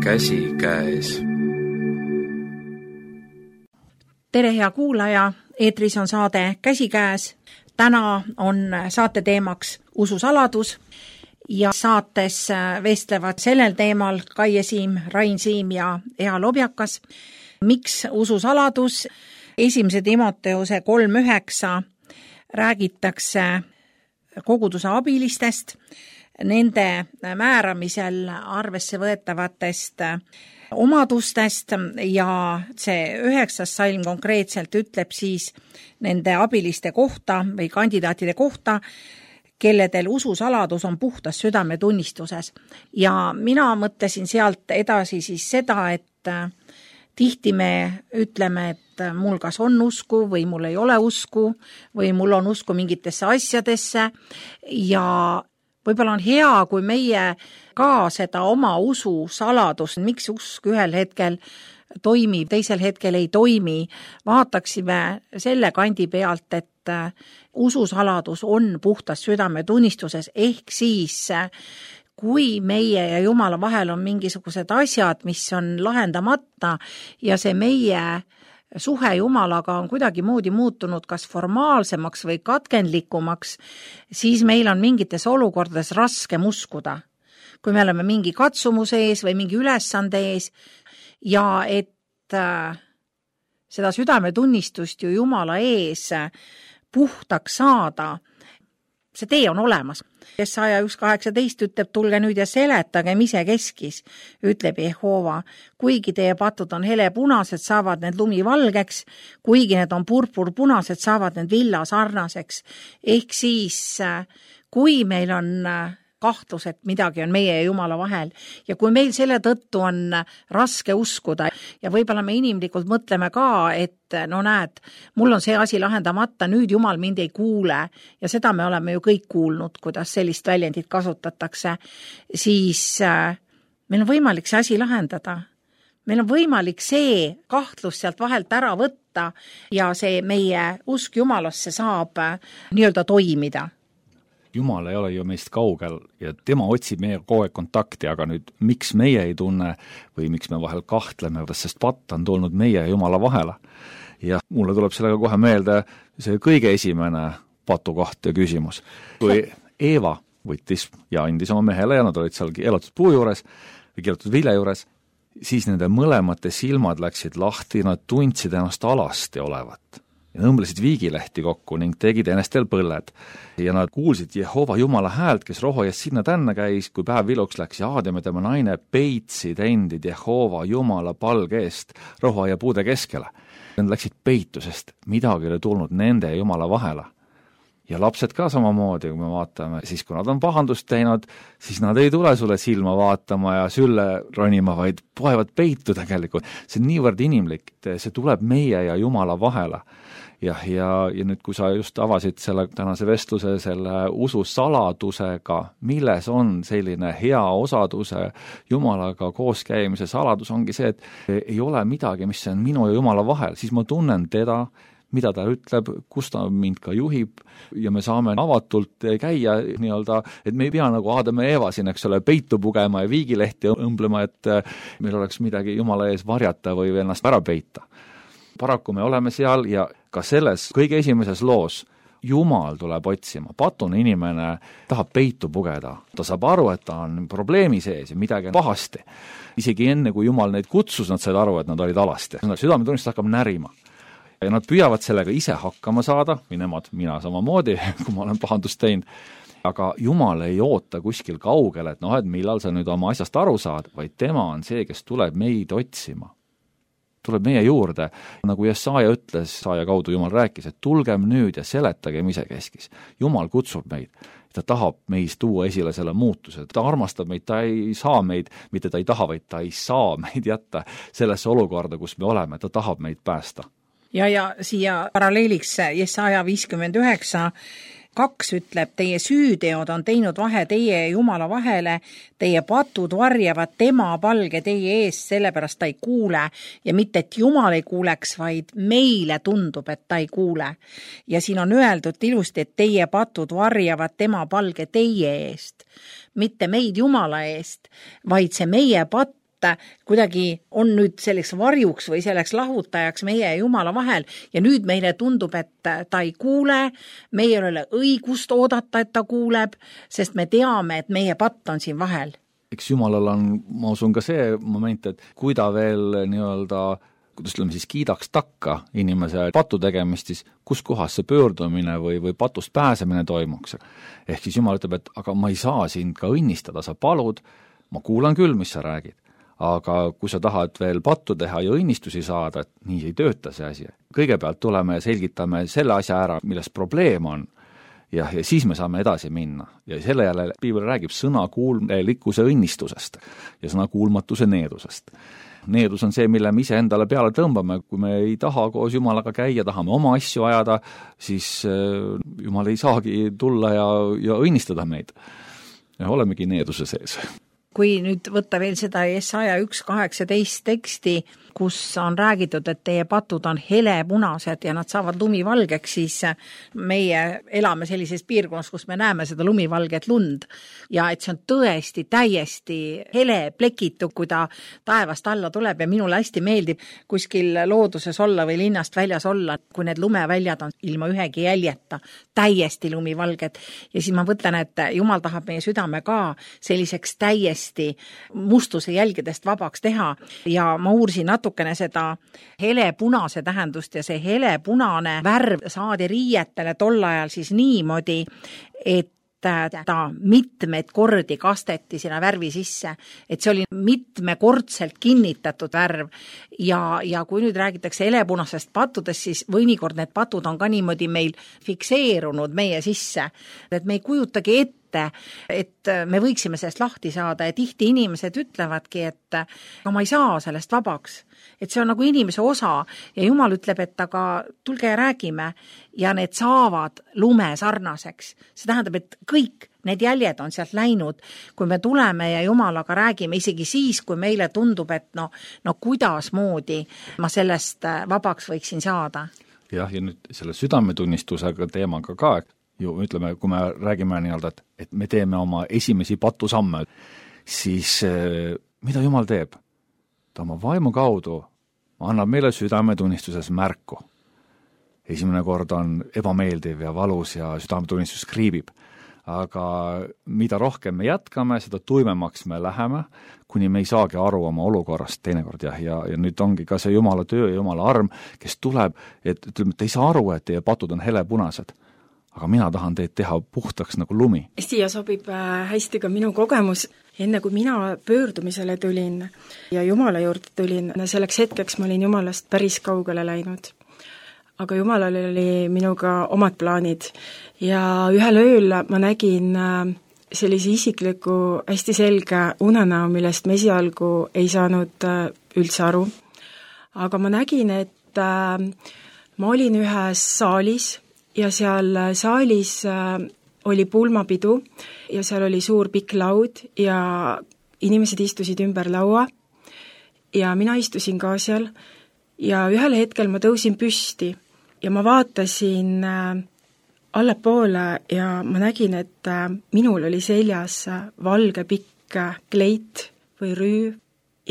käsikäes. Tere, hea kuulaja, eetris on saade Käsikäes. Täna on saate teemaks ususaladus ja saates vestlevad sellel teemal Kaie Siim, Rain Siim ja Ea Lobjakas. Miks ususaladus? 1. Timoteuse 3.9 räägitakse koguduse abilistest, nende määramisel arvesse võetavatest omadustest ja see 9. salm konkreetselt ütleb siis nende abiliste kohta või kandidaatide kohta, kelledel ususaladus on puhtas südametunnistuses. Ja mina mõtlesin sealt edasi siis seda, et tihti me ütleme, et mul kas on usku või mul ei ole usku või mul on usku mingitesse asjadesse ja võib-olla on hea, kui meie ka seda oma usu saladust, miks usk ühel hetkel toimib, teisel hetkel ei toimi, vaataksime selle kandi pealt, et ususaladus on puhtas südametunnistuses, ehk siis kui meie ja Jumala vahel on mingisugused asjad, mis on lahendamata ja see meie suhe Jumalaga on kuidagi moodi muutunud kas formaalsemaks või katkendlikumaks, siis meil on mingites olukordades raskem uskuda. Kui me oleme mingi katsumuse ees või mingi ülesande ees ja et seda südametunnistust ju Jumala ees puhtaks saada, see tee on olemas. Jesaja 1.18 ütleb, tulge nüüd ja seletagem ise keskis, ütleb Jehova. Kuigi teie patud on helepunased, saavad need lumivalgeks, kuigi need on purpurpunased, saavad need villa sarnaseks. Ehk siis, kui meil on kahtlus, et midagi on meie ja Jumala vahel ja kui meil selle tõttu on raske uskuda ja võib-olla me inimlikult mõtleme ka, et no näed, mul on see asi lahendamata, nüüd Jumal mind ei kuule ja seda me oleme ju kõik kuulnud, kuidas sellist väljendit kasutatakse, siis meil on võimalik see asi lahendada. Meil on võimalik see kahtlus sealt vahelt ära võtta ja see meie usk Jumalasse saab nii-öelda toimida. Jumal ei ole ju meist kaugel ja tema otsib meie kogu aeg kontakti, aga nüüd miks meie ei tunne või miks me vahel kahtleme, sest patt on tulnud meie ja Jumala vahele. Ja mulle tuleb sellega kohe meelde see kõige esimene patukoht ja küsimus. Kui Eeva võttis ja andis oma mehele ja nad olid seal keelatud puu juures või keelatud vilja juures, siis nende mõlemate silmad läksid lahti, nad tundsid ennast alasti olevat. Ja nõmblesid viigilehti kokku ning tegid enestel põlled. Ja nad kuulsid Jehova Jumala häält, kes roho eest sinna tänna käis, kui päev viluks läks ja Aadam ja tema naine peitsid endid Jehova Jumala palge eest roho ja puude keskele. Nad läksid peitusest, midagi oli tulnud nende ja Jumala vahele. Ja lapsed ka samamoodi, kui me vaatame, siis kui nad on pahandust teinud, siis nad ei tule sulle silma vaatama ja sülle ronima, vaid poevad peitu tegelikult. See on niivõrd inimlik, see tuleb meie ja Jumala vahele. Ja nüüd, kui sa just avasid selle tänase vestluse selle usu saladusega, milles on selline hea osaduse Jumalaga kooskäimise saladus, ongi see, et ei ole midagi, mis on minu ja Jumala vahel, siis ma tunnen teda, mida ta ütleb, kus ta mind ka juhib ja me saame avatult käia nii-öelda, et me ei pea nagu Aadam ja Eeva siin, eks ole, peitu pugema ja viigilehti õmblema, et meil oleks midagi Jumala ees varjata või ennast ära peita. Paraku me oleme seal ja ka selles kõige esimeses loos Jumal tuleb otsima. Patune inimene tahab peitu pugeda. Ta saab aru, et ta on probleemi sees ja midagi on pahasti. Isegi enne, kui Jumal neid kutsus, nad said aru, et nad olid alasti. Südametunnistus hakkab närima. Ja nad püüavad sellega ise hakkama saada, või nemad, mina samamoodi, kui ma olen pahandust teinud. Aga Jumal ei oota kuskil kaugel, et et millal sa nüüd oma asjast aru saad, vaid tema on see, kes tuleb meid otsima. Tuleb meie juurde, nagu Jesaja ütles, Jesaja kaudu Jumal rääkis, et tulgem nüüd ja seletagem ise keskis. Jumal kutsub meid, ta tahab meist tuua esile selle muutuse, ta armastab meid, ta ei saa meid, mitte ta ei taha, vaid ta ei saa meid jätta sellesse olukorda, kus me oleme, ta tahab meid päästa. Ja siia paralleeliks Jesaja 59 2 ütleb, teie süüteod on teinud vahe teie ja Jumala vahele, teie patud varjavad tema palge teie ees, sellepärast ta ei kuule ja mitte, et Jumal ei kuuleks, vaid meile tundub, et ta ei kuule. Ja siin on öeldud ilusti, et teie patud varjavad tema palge teie eest, mitte meid Jumala eest, vaid see meie patt kuidagi on nüüd selleks varjuks või selleks lahutajaks meie ja Jumala vahel ja nüüd meile tundub, et ta ei kuule, meil ei ole õigust oodata, et ta kuuleb, sest me teame, et meie patt on siin vahel. Eks Jumalal on, ma usun ka see moment, et kui ta veel nii-öelda kuidas ütleme siis kiidaks takka inimese patu tegemist, siis kus kohas see pöördumine või patust pääsemine toimuks. Ehk siis Jumal ütleb, et aga ma ei saa sind ka õnnistada, sa palud, ma kuulan küll, mis sa räägid, aga kui sa tahad veel pattu teha ja õnnistusi saada, et nii ei tööta see asi. Kõigepealt tuleme ja selgitame selle asja ära, milles probleem on, ja siis me saame edasi minna. Ja selle jälle Piibel räägib sõnakuulmelikkuse õnnistusest ja sõnakuulmatuse needusest. Needus on see, mille me ise endale peale tõmbame, kui me ei taha koos Jumalaga käia, tahame oma asju ajada, siis Jumal ei saagi tulla ja õnnistada meid. Ja olemegi needuse sees. Kui nüüd võtta veel seda Jesaja 1.18 teksti, kus on räägitud, et teie patud on helepunased ja nad saavad lumivalgeks, siis meie elame sellises piirkonnas, kus me näeme seda lumivalget lund ja et see on tõesti täiesti hele plekitu, kui ta taevast alla tuleb ja minule hästi meeldib kuskil looduses olla või linnast väljas olla, kui need lumeväljad on ilma ühegi jäljeta, täiesti lumivalged ja siis ma mõtlen, et Jumal tahab meie südame ka selliseks täiesti mustuse jälgedest vabaks teha ja ma uursin natukene seda helepunase tähendust ja see helepunane värv saadi riietele tol ajal siis niimoodi, et ta mitmeid kordi kasteti sinna värvi sisse, et see oli mitmekordselt kinnitatud värv ja kui nüüd räägitakse helepunasest pattudest, siis mõnikord need patud on ka niimoodi meil fikseerunud meie sisse, et me ei kujutagi ette, et me võiksime sellest lahti saada ja tihti inimesed ütlevadki, et ma ei saa sellest vabaks. Et see on nagu inimese osa ja Jumal ütleb, et aga tulge ja räägime ja need saavad lume sarnaseks. See tähendab, et kõik need jäljed on sealt läinud, kui me tuleme ja Jumalaga räägime, isegi siis, kui meile tundub, et no kuidas moodi ma sellest vabaks võiksin saada. Jah, ja nüüd selle südametunnistusega teemaga ka, ju ütleme, kui me räägime nii-öelda, et me teeme oma esimesi patusamme, siis mida Jumal teeb? Ta oma vaimu kaudu annab meile südametunnistuses märku. Esimene kord on ebameeldiv ja valus ja südametunnistus kriibib. Aga mida rohkem me jätkame, seda tuimemaks me läheme, kuni me ei saagi aru oma olukorrast teinekord. Ja nüüd ongi ka see Jumala töö ja Jumala arm, kes tuleb, et ütleme, et ei saa aru, et teie patud on helepunased. Aga mina tahan teid teha puhtaks nagu lumi. Siia sobib hästi ka minu kogemus. Enne kui mina pöördumisele tulin ja Jumala juurde tulin, selleks hetkeks ma olin Jumalast päris kaugele läinud. Aga Jumalal oli minuga omad plaanid ja ühel ööl ma nägin sellise isikliku hästi selge unenäo, millest ma esialgu ei saanud üldse aru. Aga ma nägin, et ma olin ühes saalis ja seal saalis oli pulmapidu ja seal oli suur pikk laud ja inimesed istusid ümber laua ja mina istusin ka seal ja ühel hetkel ma tõusin püsti ja ma vaatasin allapoole ja ma nägin, et minul oli seljas valge pikk kleit või rüü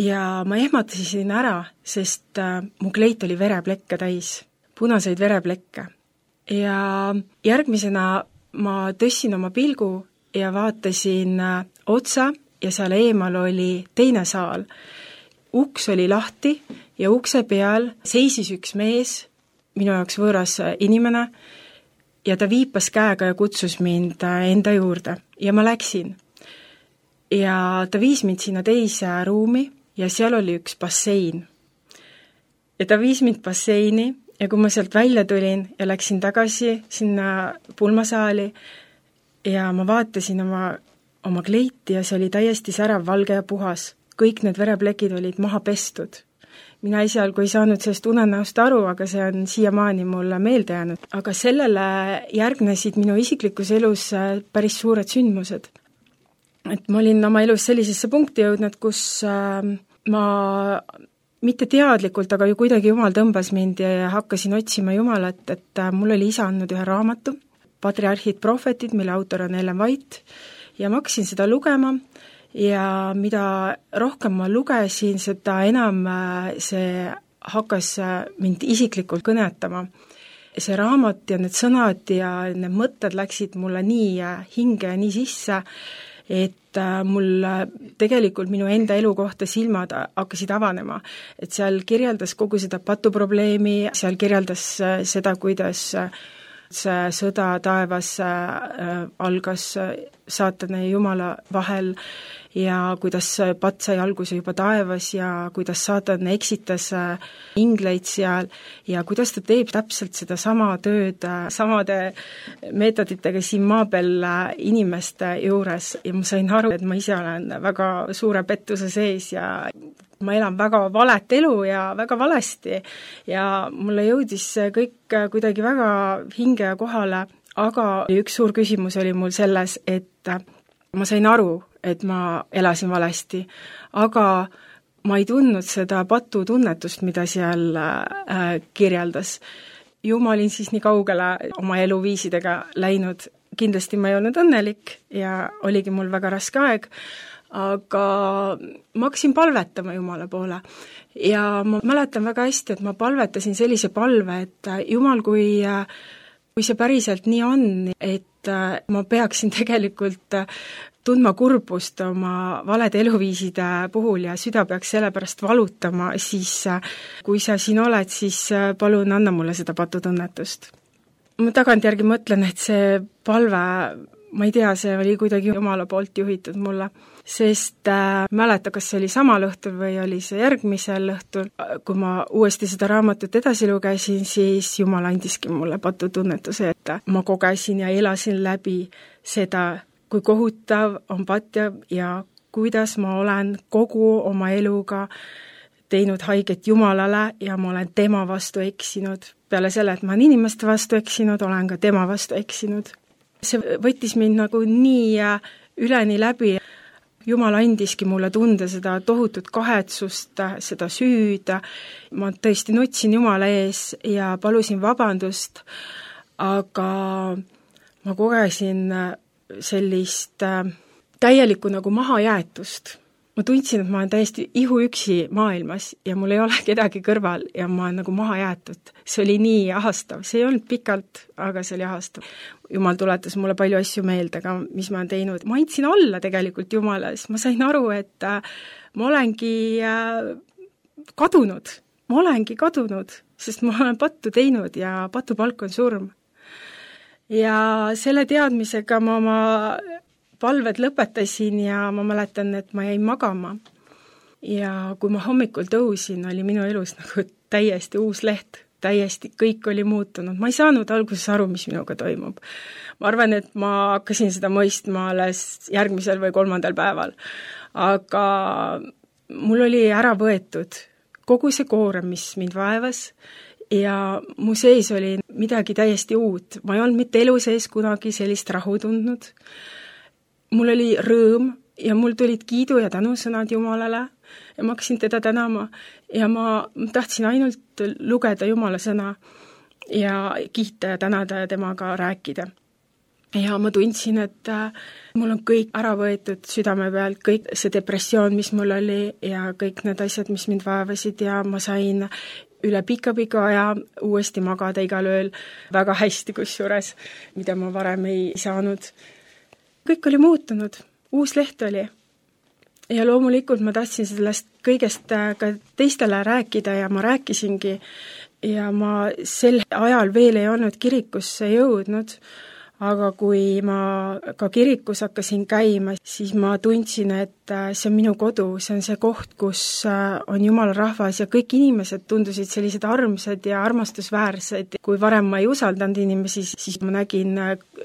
ja ma ehmatasin ära, sest mu kleit oli vereplekke täis, punaseid vereplekke. Ja järgmisena ma tõssin oma pilgu ja vaatasin otsa ja seal eemal oli teine saal. Uks oli lahti ja ukse peal seisis üks mees, minu jaoks võõras inimene, ja ta viipas käega ja kutsus mind enda juurde ja ma läksin. Ja ta viis mind sinna teise ruumi ja seal oli üks bassein. Ja ta viis mind basseini ja kui ma sealt välja tulin ja läksin tagasi sinna pulmasaali ja ma vaatasin oma kleiti ja see oli täiesti särav, valge ja puhas. Kõik need vereplekid olid maha pestud. Mina esialgu ei saanud sellest unenäost aru, aga see on siiamaani mulle meelde jäänud. Aga sellele järgnesid minu isiklikus elus päris suured sündmused. Et ma olin oma elus sellisesse punkti jõudnud, kus ma mitte teadlikult, aga ju kuidagi Jumal tõmbas mind ja hakkasin otsima Jumalat, et mul oli isa andnud ühe raamatu, Patriarhid, prohvetid, mille autor on Ellen White, ja ma hakkasin seda lugema ja mida rohkem ma lugesin, seda enam see hakkas mind isiklikult kõnetama. See raamat ja need sõnad ja need mõtted läksid mulle nii hinge ja nii sisse, et mul tegelikult minu enda elu kohta silmad hakkasid avanema. Et seal kirjeldas kogu seda patuprobleemi, seal kirjeldas seda, kuidas see sõda taevas algas saatana ja Jumala vahel ja kuidas patt sai alguse juba taevas ja kuidas saatan eksitas ingleid seal ja kuidas ta teeb täpselt seda sama tööd samade meetoditega siin maa peal inimeste juures ja ma sain aru, et ma ise olen väga suure pettuse sees ja ma elan väga valet elu ja väga valesti ja mulle jõudis see kõik kuidagi väga hinge ja kohale, aga üks suur küsimus oli mul selles, et ma sain aru, et ma elasin valesti, aga ma ei tundnud seda patutunnetust, mida seal kirjeldas. Ju ma olin siis nii kaugele oma eluviisidega läinud, kindlasti ma ei olnud õnnelik ja oligi mul väga raske aeg, aga ma hakkasin palvetama Jumala poole ja ma mäletan väga hästi, et ma palvetasin sellise palve, et Jumal, kui see päriselt nii on, et ma peaksin tegelikult tundma kurbust oma valede eluviiside puhul ja süda peaks selle pärast valutama, siis kui sa siin oled, siis palun anna mulle seda patutunnetust. Ma tagantjärgi mõtlen, et see palve, ma ei tea, see oli kuidagi Jumala poolt juhitud mulle, sest mäleta, kas see oli samal õhtul või oli see järgmisel õhtul, kui ma uuesti seda raamatut edasi lugesin, siis Jumal andiski mulle patutunnetuse, et ma kogesin ja elasin läbi seda, kui kohutav on patt ja kuidas ma olen kogu oma eluga teinud haiget Jumalale ja ma olen tema vastu eksinud. Peale selle, et ma olen inimeste vastu eksinud, olen ka tema vastu eksinud. See võttis mind nagu nii üleni läbi. Jumal andiski mulle tunde seda tohutut kahetsust, seda süüd. Ma tõesti nutsin Jumala ees ja palusin vabandust, aga ma kogesin sellist täielikku nagu mahajäetust. Ma tundsin, et ma olen täiesti ihuüksi maailmas ja mul ei ole kedagi kõrval ja ma olen nagu maha jäetud. See oli nii ahastav, see ei olnud pikalt, aga see oli ahastav. Jumal tuletas mulle palju asju meelde, aga mis ma olen teinud. Ma andsin alla tegelikult Jumalas, ma sain aru, et ma olengi kadunud, sest ma olen pattu teinud ja patupalk on surm. Ja selle teadmisega ma oma palved lõpetasin ja ma mäletan, et ma jäin magama. Ja kui ma hommikul tõusin, oli minu elus nagu täiesti uus leht, täiesti kõik oli muutunud. Ma ei saanud alguses aru, mis minuga toimub. Ma arvan, et ma hakkasin seda mõistma alles järgmisel või 3. päeval. Aga mul oli ära võetud kogu see koorem, mis mind vaevas ja mu sees oli midagi täiesti uut. Ma ei olnud mitte elu sees kunagi sellist rahu tundnud. Mul oli rõõm ja mul tulid kiidu ja tänusõnad Jumalale ja ma hakkasin teda tänama ja ma tahtsin ainult lugeda Jumala sõna ja kiita ja tänada ja temaga rääkida. Ja ma tundsin, et mul on kõik ära võetud südame pealt, kõik see depressioon, mis mul oli ja kõik need asjad, mis mind vaevasid ja ma sain üle pika aja uuesti magada igal ööl väga hästi kusjuures, mida ma varem ei saanud. Kõik oli muutunud, uus leht oli ja loomulikult ma tahtsin sellest kõigest ka teistele rääkida ja ma rääkisingi ja ma sel ajal veel ei olnud kirikusse jõudnud, aga kui ma ka kirikus hakkasin käima, siis ma tundsin, et see on minu kodu, see on see koht, kus on Jumala rahvas ja kõik inimesed tundusid sellised armsad ja armastusväärsed. Kui varem ma ei usaldanud inimesi, siis ma nägin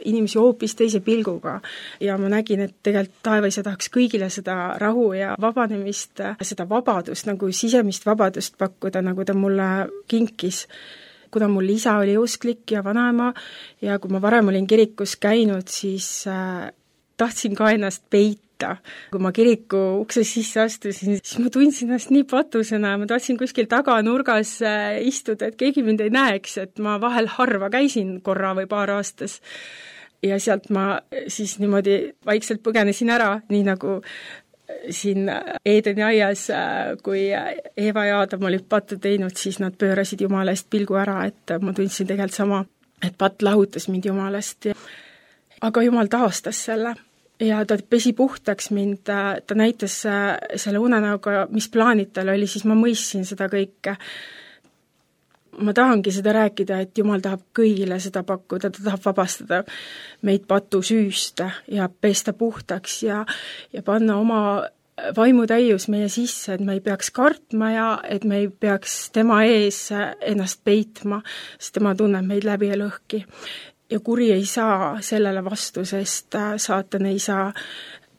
inimesi hoopis teise pilguga ja ma nägin, et tegelikult taevaisa tahaks kõigile seda rahu ja vabanemist, seda vabadust, nagu sisemist vabadust pakkuda, nagu ta mulle kinkis. Kuna mul isa oli usklik ja vanaema ja kui ma varem olin kirikus käinud, siis tahtsin ka ennast peita. Kui ma kiriku ukse sisse astusin, siis ma tundsin ennast nii patusena, ma tahtsin kuskil taganurgas istuda, et keegi mind ei näeks, et ma vahel harva käisin korra või paar aastas. Ja sealt ma siis niimoodi vaikselt põgenesin ära, nii nagu siin Eedeni aias, kui Eeva ja Aadam olid pattu teinud, siis nad pöörasid Jumala eest pilgu ära, et ma tundsin tegelikult sama, et patt lahutas mind Jumalast. Aga Jumal taastas selle ja ta pesi puhtaks mind, ta näitas selle unenäoga, mis plaanid tal oli, siis ma mõistsin seda kõike. Ma tahangi seda rääkida, et Jumal tahab kõigile seda pakkuda, ta tahab vabastada meid patu süüst ja pesta puhtaks ja panna oma vaimutäius meie sisse, et me ei peaks kartma ja et me ei peaks tema ees ennast peitma, sest tema tunneb meid läbi ja lõhki. Ja kuri ei saa sellele vastu, sest saatan ei saa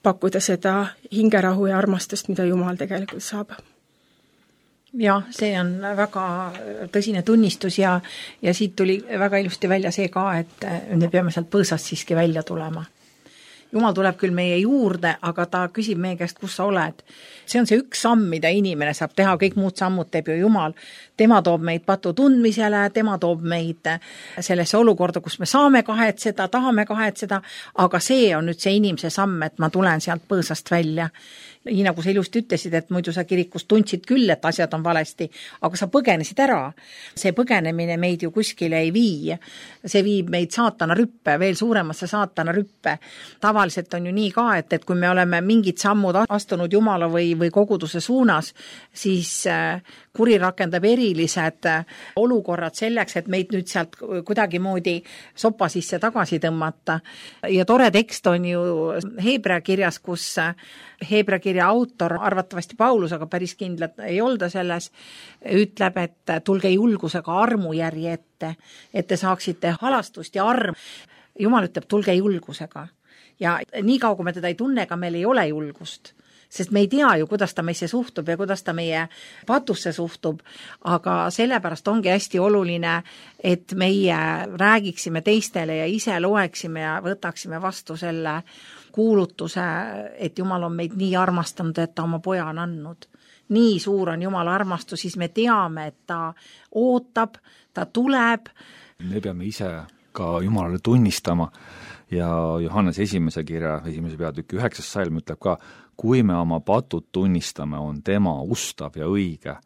pakkuda seda hingerahu ja armastust, mida Jumal tegelikult saab. Jah, see on väga tõsine tunnistus ja siit tuli väga ilusti välja see ka, et me peame sealt põõsast siiski välja tulema. Jumal tuleb küll meie juurde, aga ta küsib meie käest, kus sa oled. See on see üks samm, mida inimene saab teha, kõik muud sammud teeb ju Jumal. Tema toob meid patu tundmisele, tema toob meid sellesse olukorda, kus me saame kahetseda, tahame kahetseda, aga see on nüüd see inimese samm, et ma tulen sealt põõsast välja. Nii nagu sa ilusti ütlesid, et muidu sa kirikus tundsid küll, et asjad on valesti, aga sa põgenesid ära. See põgenemine meid ju kuskile ei vii. See viib meid saatana rüppe, veel suuremasse saatana rüppe. Tavaliselt on ju nii ka, et kui me oleme mingid sammud astunud Jumala või koguduse suunas, siis kuri rakendab erilised olukorrad selleks, et meid nüüd sealt kuidagi sopa sisse tagasi tõmmata. Ja tore tekst on ju Heebrea kirjas, kus Heebrea kirja autor, arvatavasti Paulus, aga päris kindlalt ei olda selles, ütleb, et tulge julgusega armujärje ette, et te saaksite halastust ja arm. Jumal ütleb, tulge julgusega. Ja nii kaua, kui me teda ei tunne, ega meil ei ole julgust. Sest me ei tea ju, kuidas ta meisse suhtub ja kuidas ta meie patusse suhtub, aga sellepärast ongi hästi oluline, et meie räägiksime teistele ja ise loeksime ja võtaksime vastu selle kuulutuse, et Jumal on meid nii armastanud, et ta oma poja on andnud. Nii suur on Jumala armastus, siis me teame, et ta ootab, ta tuleb. Me peame ise ka Jumalale tunnistama ja Johannes esimese kirja, esimese peatüki 9. salm ütleb ka, kui me oma patud tunnistame, on tema ustav ja õige,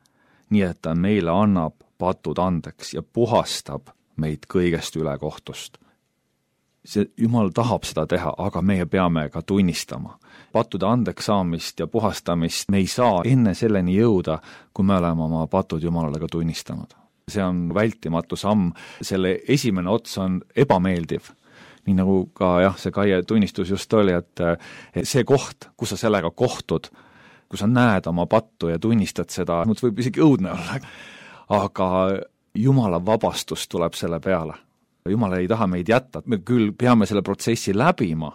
nii et ta meile annab patud andeks ja puhastab meid kõigest ülekohtust. Jumal tahab seda teha, aga meie peame ka tunnistama. Pattude andeks saamist ja puhastamist me ei saa enne selleni jõuda, kui me oleme oma patud Jumalale ka tunnistanud. See on vältimatu samm, selle esimene ots on ebameeldiv. Nii nagu ka see Kaie tunnistus just oli, et see koht, kus sa sellega kohtud, kui sa näed oma pattu ja tunnistad seda, võib isegi õudne olla, aga Jumala vabastus tuleb selle peale. Jumal ei taha meid jätta, me küll peame selle protsessi läbima,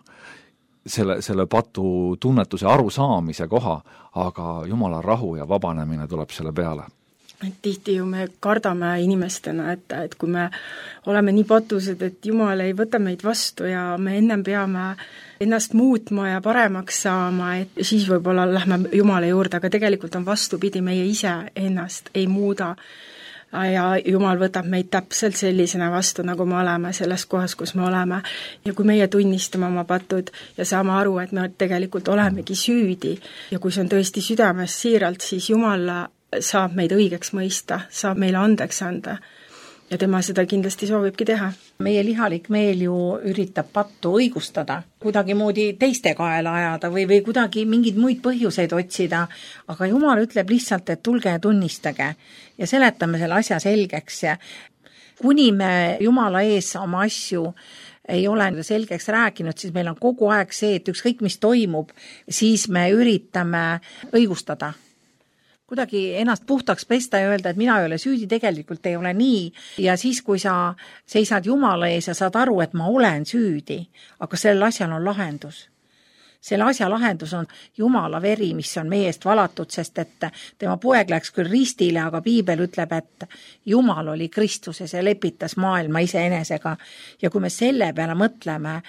selle patu tunnetuse arusaamise koha, aga Jumala rahu ja vabanemine tuleb selle peale. Tihti ju me kardame inimestena, et kui me oleme nii patused, et Jumal ei võta meid vastu ja me ennem peame ennast muutma ja paremaks saama, et siis võib-olla lähme Jumala juurde, aga tegelikult on vastupidi, meie ise ennast ei muuda. Ja Jumal võtab meid täpselt sellisena vastu, nagu me oleme selles kohas, kus me oleme. Ja kui meie tunnistame oma patud ja saame aru, et me tegelikult olemegi süüdi ja kui see on tõesti südames siiralt, siis Jumal saab meid õigeks mõista, saab meile andeks anda ja tema seda kindlasti soovibki teha. Meie lihalik meel ju üritab pattu õigustada, kuidagi moodi teiste kaela ajada või kuidagi mingeid muid põhjuseid otsida, aga Jumal ütleb lihtsalt, et tulge ja tunnistage ja seletame selle asja selgeks ja kuni me Jumala ees oma asju ei ole selgeks rääkinud, siis meil on kogu aeg see, et ükskõik mis toimub, siis me üritame õigustada. Kuidagi ennast puhtaks pesta ja öelda, et mina ei ole süüdi, tegelikult ei ole nii. Ja siis, kui sa seisad Jumala ees ja saad aru, et ma olen süüdi, aga sellel asjal on lahendus. Selle asja lahendus on Jumala veri, mis on meie eest valatud, sest et tema poeg läks küll ristile, aga Piibel ütleb, et Jumal oli Kristuses ja lepitas maailma iseenesega. Ja kui me selle peale mõtleme,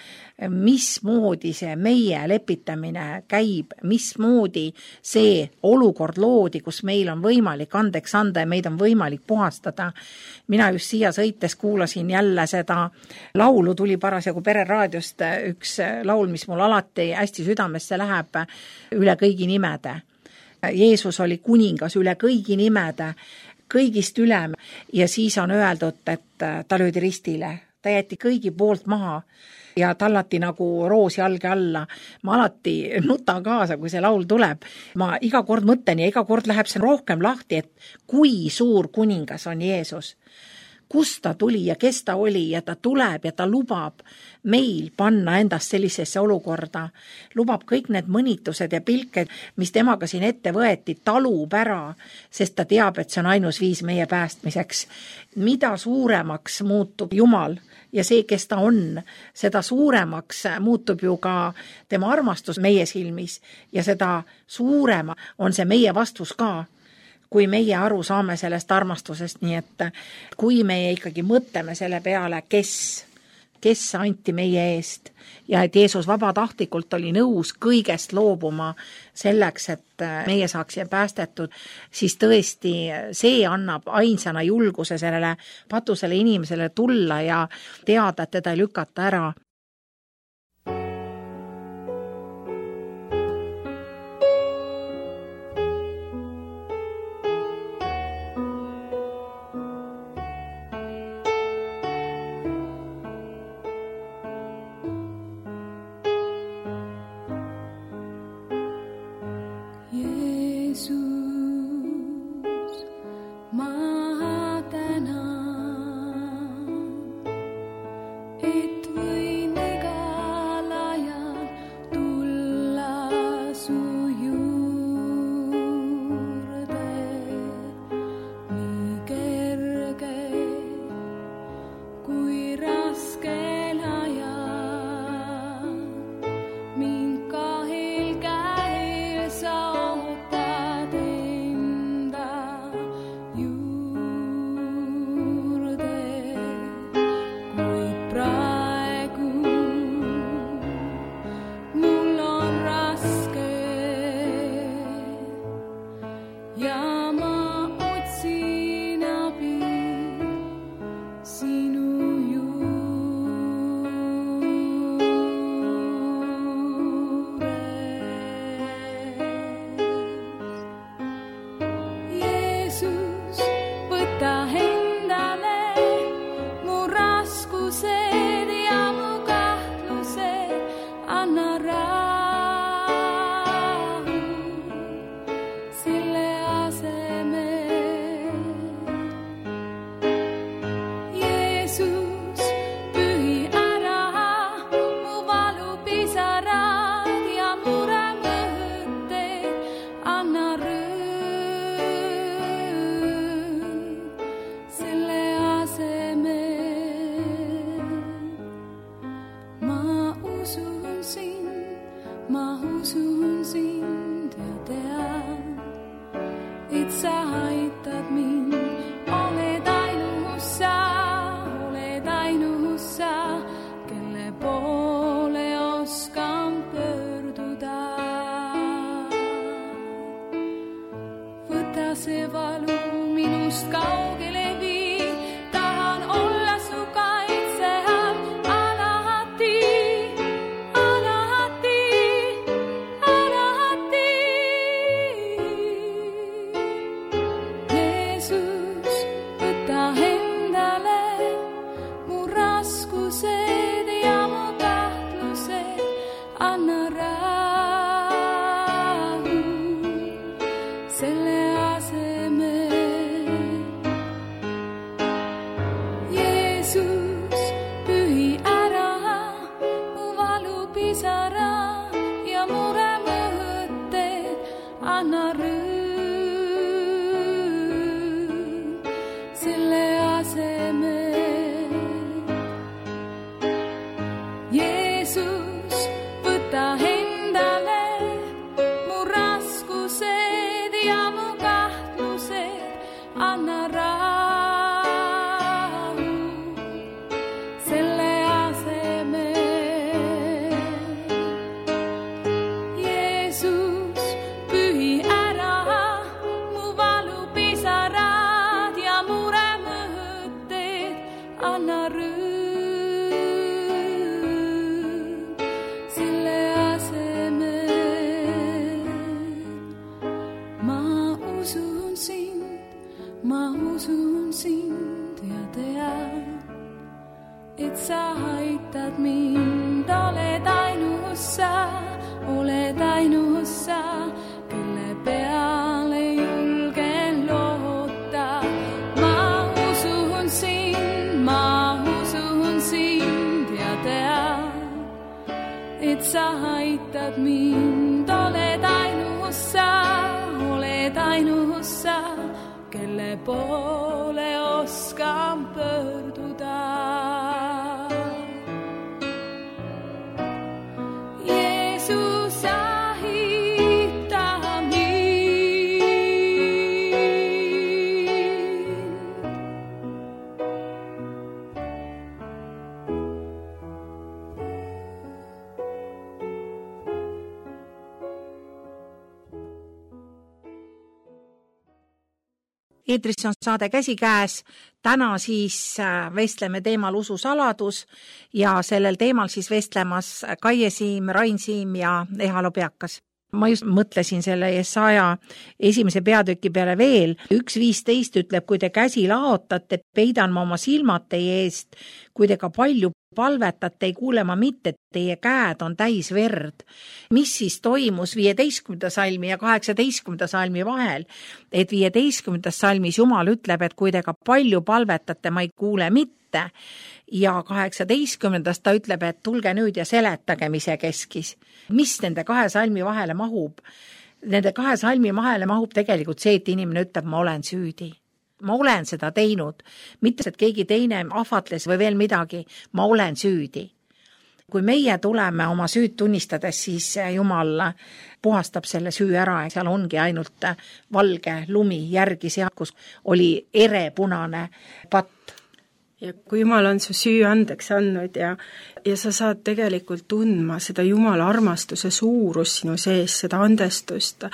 mismoodi see meie lepitamine käib, mismoodi see olukord loodi, kus meil on võimalik andeks anda ja meid on võimalik puhastada. Mina just siia sõites kuulasin jälle seda laulu, tuli parasjagu Pereraadiost üks laul, mis mul alati hästi südamesse läheb üle kõigi nimede. Jeesus oli kuningas üle kõigi nimede, kõigist ülem ja siis on öeldud, et ta löödi ristile, ta jäeti kõigi poolt maha ja tallati nagu roos jalge alla. Ma alati nutan kaasa, kui see laul tuleb. Ma iga kord mõtlen ja iga kord läheb see rohkem lahti, et kui suur kuningas on Jeesus. Kust ta tuli ja kes ta oli ja ta tuleb ja ta lubab meil panna endast sellisesse olukorda. Lubab kõik need mõnitused ja pilked, mis temaga siin ette võeti, talub ära, sest ta teab, et see on ainus viis meie päästmiseks. Mida suuremaks muutub Jumal ja see, kes ta on, seda suuremaks muutub ju ka tema armastus meie silmis ja seda suurema on see meie vastus ka, kui meie aru saame sellest armastusest, nii et kui meie ikkagi mõtleme selle peale, kes anti meie eest ja et Jeesus vabatahtlikult oli nõus kõigest loobuma selleks, et meie saaksime päästetud, siis tõesti see annab ainsana julguse sellele patusele inimesele tulla ja teada, et teda ei lükata ära. Sille aseme sa aitad mind, oled ainus sa, kelle peale julgen loota. Ma usun sind ja tean, et sa aitad mind, oled ainus sa, kelle poole oskan pöörduda. Jeesus ahita mind. Eetris on saade Käsikäes. Täna siis vestleme teemal ususaladus ja sellel teemal siis vestlemas Kaie Siim, Rain Siim ja Ehalo Peakas. Ma just mõtlesin selle Jesaja 1. peatüki peale veel. 1.15 ütleb, kui te käsi laotate, peidan ma oma silmad teie eest, kui te ka palju palvetate, ei kuule ma mitte, teie käed on täis verd. Mis siis toimus 15. salmi ja 18. salmi vahel? Et 15. salmis Jumal ütleb, et kui te ka palju palvetate, ma ei kuule mitte. Ja 18. ta ütleb, et tulge nüüd ja seletage, mis see keskis. Mis nende kahe salmi vahele mahub? Nende kahe salmi vahele mahub tegelikult see, et inimene ütleb, ma olen süüdi. Ma olen seda teinud, mitte et keegi teine ahvatles või veel midagi, ma olen süüdi. Kui meie tuleme oma süüd tunnistades, siis Jumal puhastab selle süü ära ja seal ongi ainult valge lumi järgi seal, kus oli erepunane patt. Ja kui Jumal on su süü andeks andnud ja sa saad tegelikult tundma seda Jumala armastuse suurus sinu sees, seda andestust,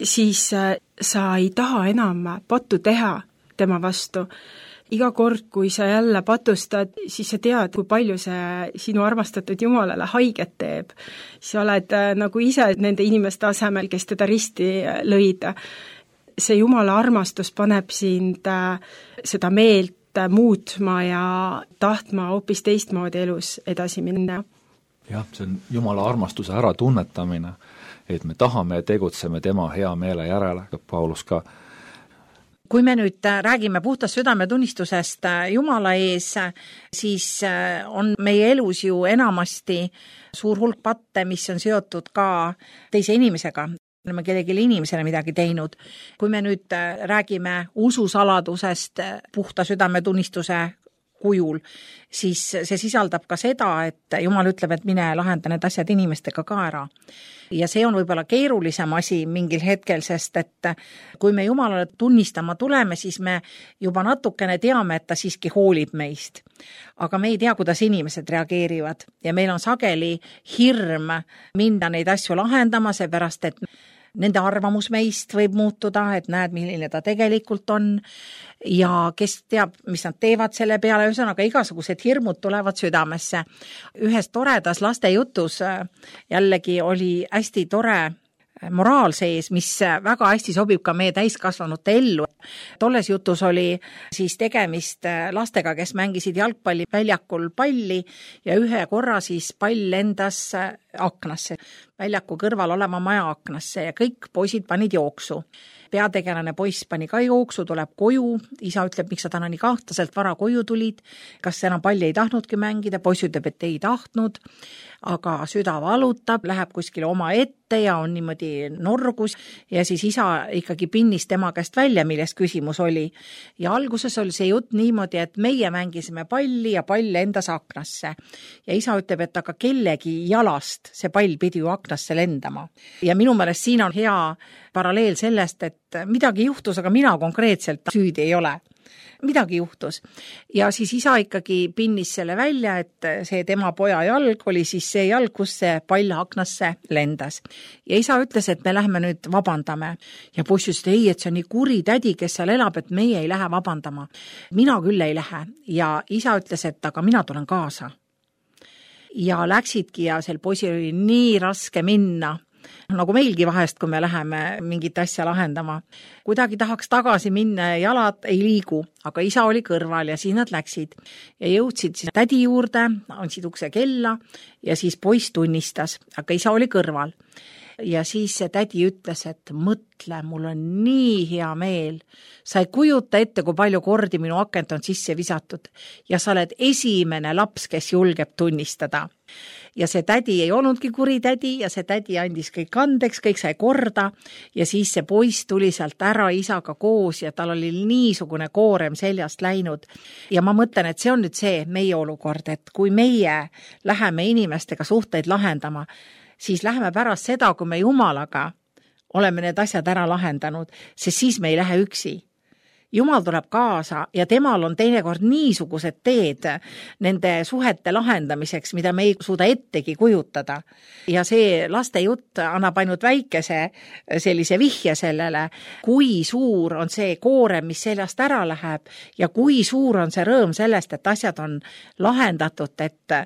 siis sa ei taha enam pattu teha tema vastu. Iga kord, kui sa jälle patustad, siis sa tead, kui palju see sinu armastatud Jumalale haiget teeb. Sa oled nagu ise nende inimeste asemel, kes teda risti lõid. See Jumala armastus paneb sind seda meelt muutma ja tahtma hoopis teistmoodi elus edasi minna. Jah, see on Jumala armastuse ära tunnetamine, et me tahame ja tegutseme tema hea meele järele, Paulus ka. Kui me nüüd räägime puhtast südametunnistusest Jumala ees, siis on meie elus ju enamasti suur hulk patte, mis on seotud ka teise inimesega. Oleme kellelegi inimesele midagi teinud. Kui me nüüd räägime ususaladusest puhta südametunnistuse kujul, siis see sisaldab ka seda, et Jumal ütleb, et mine lahenda need asjad inimestega ka ära. Ja see on võib-olla keerulisem asi mingil hetkel, sest et kui me Jumalale tunnistama tuleme, siis me juba natukene teame, et ta siiski hoolib meist. Aga me ei tea, kuidas inimesed reageerivad ja meil on sageli hirm minna neid asju lahendama, seepärast, et nende arvamus meist võib muutuda, et näed, milline ta tegelikult on ja kes teab, mis nad teevad selle peale, ühesõnaga igasugused hirmud tulevad südamesse. Ühes toredas lastejutus jällegi oli hästi tore moraal sees, mis väga hästi sobib ka meie täiskasvanute ellu. Tolles jutus oli siis tegemist lastega, kes mängisid jalgpalli väljakul palli ja ühe korra siis pall lendas aknasse, väljaku kõrval olema maja aknasse ja kõik poisid panid jooksu. Peategelane poiss pani ka jooksu, tuleb koju, isa ütleb, miks sa täna nii kahtlaselt vara koju tulid, kas enam palli ei tahtnudki mängida, poiss ütleb, et ei tahtnud, aga süda valutab, läheb kuskile oma ette ja on niimoodi norgus ja siis isa ikkagi pinnis tema käest välja, milles küsimus oli. Ja alguses oli see jutt niimoodi, et meie mängisime palli ja pall endas aknasse. Ja isa ütleb, et aga kellegi jalast see pall pidi ju aknasse lendama. Ja minu meelest siin on hea paralleel sellest, et midagi juhtus, aga mina konkreetselt süüdi ei ole. Midagi juhtus. Ja siis isa ikkagi pinnis selle välja, et see tema poja jalg oli siis see jalg, kus see pall aknasse lendas. Ja isa ütles, et me lähme nüüd vabandame. Ja poiss ütles, ei, et see on nii kuri tädi, kes seal elab, et meie ei lähe vabandama. Mina küll ei lähe. Ja isa ütles, et aga mina tulen kaasa. Ja läksidki ja sel poisil oli nii raske minna. nagu meilgi vahest, kui me läheme mingit asja lahendama. Kuidagi tahaks tagasi minna ja jalad ei liigu, aga isa oli kõrval ja siis nad läksid ja jõudsid siis tädi juurde, andsid ukse kella ja siis poiss tunnistas, aga isa oli kõrval. Ja siis see tädi ütles, et mõtle, mul on nii hea meel. Sa ei kujuta ette, kui palju kordi minu akent on sisse visatud ja sa oled esimene laps, kes julgeb tunnistada. Ja see tädi ei olnudki kuri tädi ja see tädi andis kõik andeks, kõik sai korda ja siis see poiss tuli sealt ära isaga koos ja tal oli niisugune koorem seljast läinud. Ja ma mõtlen, et see on nüüd see meie olukord, et kui meie läheme inimestega suhteid lahendama, siis läheme pärast seda, kui me Jumalaga oleme need asjad ära lahendanud, sest siis me ei lähe üksi. Jumal tuleb kaasa ja temal on teinekord niisugused teed nende suhete lahendamiseks, mida me ei suuda ettegi kujutada. Ja see laste jutt annab ainult väikese sellise vihje sellele, kui suur on see koorem, mis seljast ära läheb ja kui suur on see rõõm sellest, et asjad on lahendatud, et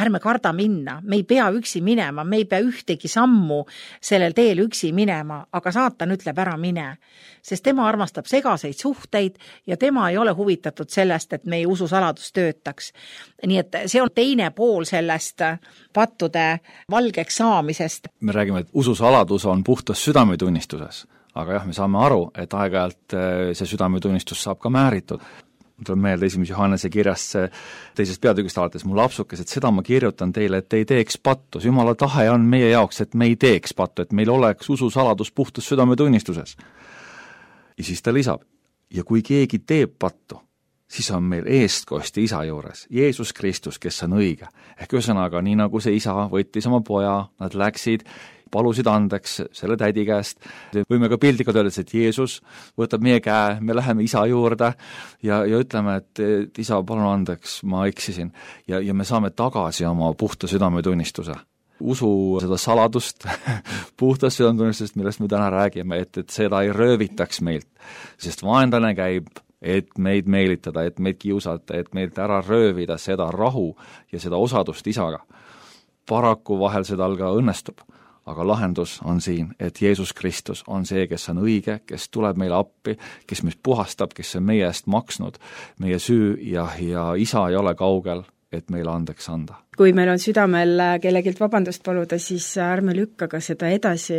ärme karda minna. Me ei pea üksi minema, me ei pea ühtegi sammu sellel teel üksi minema, aga saatan ütleb ära mine, sest tema armastab segaseid suhteid ja tema ei ole huvitatud sellest, et meie ususaladus töötaks. Nii et see on teine pool sellest pattude valgeks saamisest. Me räägime, et ususaladus on puhtas südametunnistuses, aga jah, me saame aru, et aeg-ajalt see südametunnistus saab ka määritud. Tuleb meelde 1. Johannese kirjast 2. peatükist alates mu lapsukes, et seda ma kirjutan teile, et ei teeks pattu. Jumala tahe on meie jaoks, et me ei teeks pattu, et meil oleks ususaladus puhtas südametunnistuses. Ja siis ta lisab, ja kui keegi teeb pattu, siis on meil eestkosti isa juures, Jeesus Kristus, kes on õige. Ehk ühesõnaga, nii nagu see isa võttis oma poja, nad läksid, palusid andeks selle tädi käest. Võime ka pildiga öelda, et Jeesus võtab meie käe, me läheme isa juurde ja ütleme, et isa, palun andeks, ma eksisin. Ja me saame tagasi oma puhta südametunnistuse. Usu seda saladust, puhtast südametunnistusest, millest me täna räägime, et seda ei röövitaks meilt, sest vaenlane käib, et meid meelitada, et meid kiusata, et meilt ära röövida seda rahu ja seda osadust isaga. Paraku vahel seda ka õnnestub, aga lahendus on siin, et Jeesus Kristus on see, kes on õige, kes tuleb meile appi, kes meid puhastab, kes on meie eest maksnud meie süü ja isa ei ole kaugel, et meile andeks anda. Kui meil on südamel kellegilt vabandust paluda, siis ärme lükka ka seda edasi,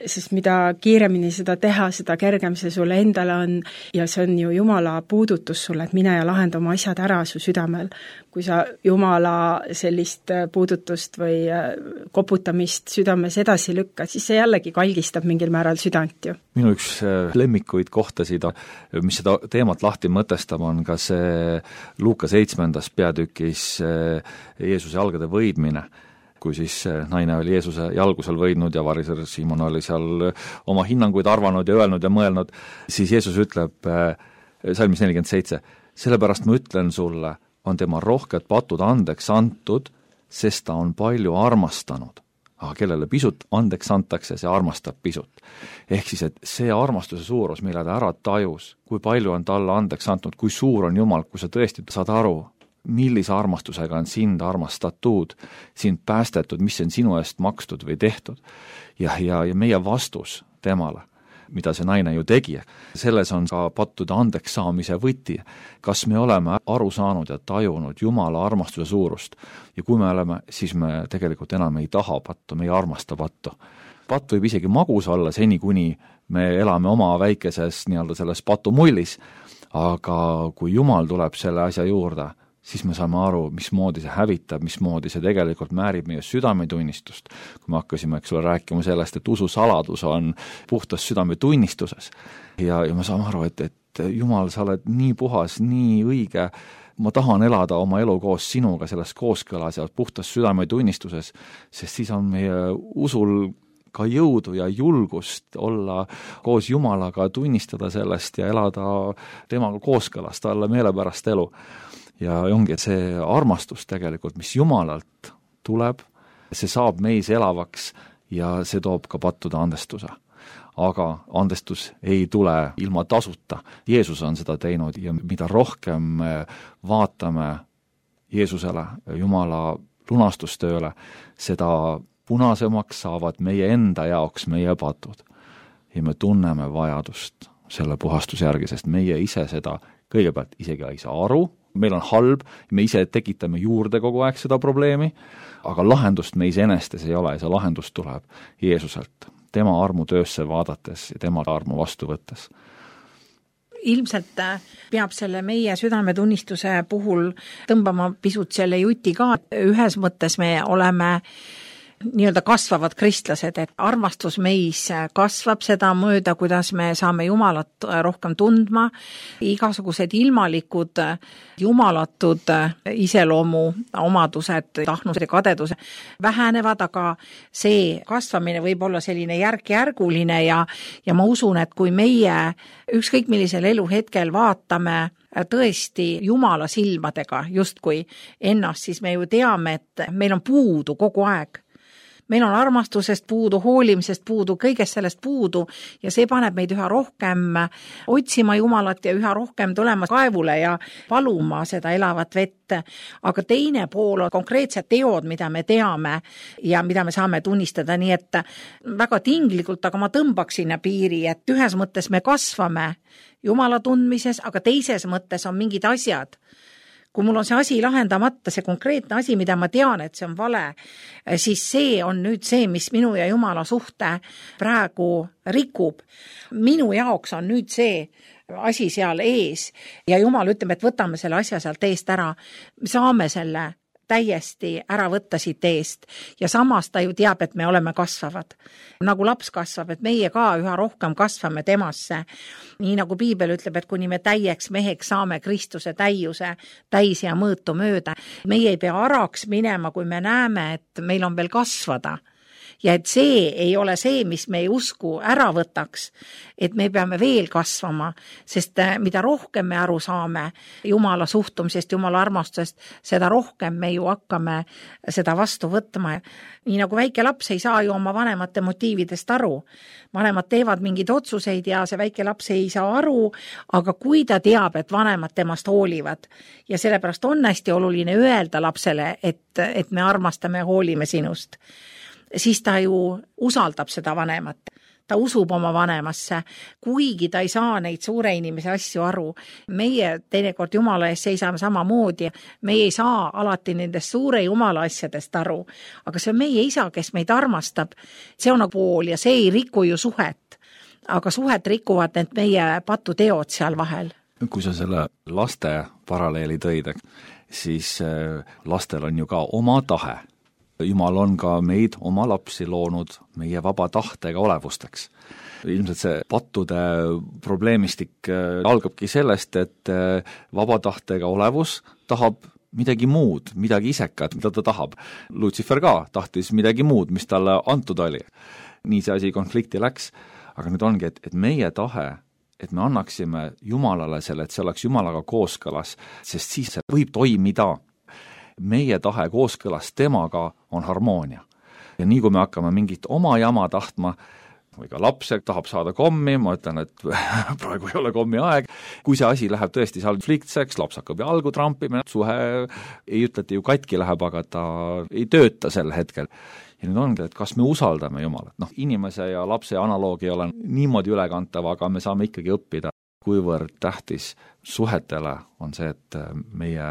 sest mida kiiremini seda teha, seda kergem see sulle endale on ja see on ju Jumala puudutus sulle, et mine ja lahenda oma asjad ära su südamel. Kui sa Jumala sellist puudutust või koputamist südames edasi lükka, siis see jällegi kalgistab mingil määral südant ju. Minu üks lemmikuid kohtasid, mis seda teemat lahti mõtestab, on ka see Luuka 7. peatükis Jeesuse jalgade võidmine, kui siis naine oli Jeesuse jalgusel võidnud ja variser Simon oli seal oma hinnanguid arvanud ja öelnud ja mõelnud, siis Jeesus ütleb salmis 47, sellepärast ma ütlen sulle, on tema rohked patud andeks antud, sest ta on palju armastanud. Aga kellele pisut andeks antakse, see armastab pisut. Ehk siis, et see armastuse suurus, mille ta ära tajus, kui palju on talle andeks antud, kui suur on Jumal, kui sa tõesti saad aru, millise armastusega on sind armastatud, sind päästetud, mis on sinu eest makstud või tehtud. Ja meie vastus temale, mida see naine ju tegi, selles on ka pattude andeks saamise võti. Kas me oleme aru saanud ja tajunud Jumala armastuse suurust ja kui me oleme, siis me tegelikult enam ei taha pattu, me ei armasta pattu. Patt võib isegi magus olla seni, kuni me elame oma väikeses nii-öelda selles patumullis, aga kui Jumal tuleb selle asja juurde, siis me saame aru, mismoodi see hävitab, mismoodi see tegelikult määrib meie südametunnistust. Kui me hakkasime rääkima sellest, et ususaladus on puhtas südametunnistuses ja me saame aru, et Jumal, sa oled nii puhas, nii õige, ma tahan elada oma elu koos sinuga selles kooskõlas ja puhtas südametunnistuses, sest siis on meie usul ka jõudu ja julgust olla koos Jumalaga, tunnistada sellest ja elada temaga kooskõlas, talle meelepärast elu. Ja ongi, et see armastus tegelikult, mis Jumalalt tuleb, see saab meis elavaks ja see toob ka pattude andestuse. Aga andestus ei tule ilma tasuta. Jeesus on seda teinud ja mida rohkem vaatame Jeesusele, Jumala lunastustööle, seda punasemaks saavad meie enda jaoks meie patud ja me tunneme vajadust selle puhastuse järgi, sest meie ise seda kõigepealt isegi ei saa aru, meil on halb, me ise tekitame juurde kogu aeg seda probleemi, aga lahendust me iseenestes ei ole ja see lahendus tuleb Jeesuselt, tema armu töösse vaadates ja tema armu vastu võttes. Ilmselt peab selle meie südametunnistuse puhul tõmbama pisut selle juti ka. Ühes mõttes me oleme nii-öelda kasvavad kristlased, et armastus meis kasvab seda mööda, kuidas me saame Jumalat rohkem tundma. Igasugused ilmalikud, jumalatud iseloomu omadused, tahnused ja kadedused vähenevad, aga see kasvamine võib olla selline järk-järguline ja ma usun, et kui meie ükskõik millisel eluhetkel vaatame tõesti Jumala silmadega justkui ennast, siis me ju teame, et meil on puudu kogu aeg. Meil on armastusest puudu, hoolimisest puudu, kõigest sellest puudu ja see paneb meid üha rohkem otsima Jumalat ja üha rohkem tulema kaevule ja paluma seda elavat vett. Aga teine pool on konkreetsed teod, mida me teame ja mida me saame tunnistada, nii et väga tinglikult, aga ma tõmbaks sinna piiri, et ühes mõttes me kasvame Jumala tundmises, aga teises mõttes on mingid asjad. Kui mul on see asi lahendamata, see konkreetne asi, mida ma tean, et see on vale, siis see on nüüd see, mis minu ja Jumala suhte praegu rikub. Minu jaoks on nüüd see asi seal ees ja Jumal ütleb, et võtame selle asja sealt eest ära. Saame selle täiesti ära võtta siit eest ja samas ta ju teab, et me oleme kasvavad. Nagu laps kasvab, et meie ka üha rohkem kasvame temasse. Nii nagu Piibel ütleb, et kuni me täieks meheks saame Kristuse täiuse täis ja mõõtu mööda. Meie ei pea araks minema, kui me näeme, et meil on veel kasvada. Ja et see ei ole see, mis meie usku ära võtaks, et me peame veel kasvama, sest mida rohkem me aru saame Jumala suhtumisest, Jumala armastusest, seda rohkem me ju hakkame seda vastu võtma. Nii nagu väike laps ei saa ju oma vanemate motiividest aru. Vanemad teevad mingeid otsuseid ja see väike laps ei saa aru, aga kui ta teab, et vanemad temast hoolivad ja sellepärast on hästi oluline öelda lapsele, et me armastame ja hoolime sinust, siis ta ju usaldab seda vanemat. Ta usub oma vanemasse, kuigi ta ei saa neid suure inimese asju aru. Meie teinekord Jumala ees seisame samamoodi. Meie ei saa alati nendest suure Jumala asjadest aru. Aga see on meie isa, kes meid armastab. See on pool ja see ei riku ju suhet. Aga suhet rikuvad need meie patuteod seal vahel. Kui sa selle laste paralleeli tõid, siis lastel on ju ka oma tahe. Jumal on ka meid, oma lapsi loonud meie vaba tahtega olevusteks. Ilmselt see pattude probleemistik algabki sellest, et vaba tahtega olevus tahab midagi muud, midagi isekat, mida ta tahab. Lucifer ka tahtis midagi muud, mis talle antud oli. Nii see asi konflikti läks, aga nüüd ongi, et meie tahe, et me annaksime Jumalale selle, et see oleks Jumalaga kooskõlas, sest siis see võib toimida. Meie tahe kooskõlas temaga on harmoonia. Ja nii kui me hakkame mingit oma jama tahtma, või ka laps tahab saada kommi, ma ütlen, et praegu ei ole kommi aeg. Kui see asi läheb tõesti konfliktseks, laps hakkab jalgu trampima, suhe ei ütlete ju katki läheb, aga ta ei tööta sel hetkel. Ja nüüd ongi, et kas me usaldame Jumalat. Inimese ja lapse analoog ei ole niimoodi ülekantav, aga me saame ikkagi õppida, kuivõrd tähtis suhetele on see, et meie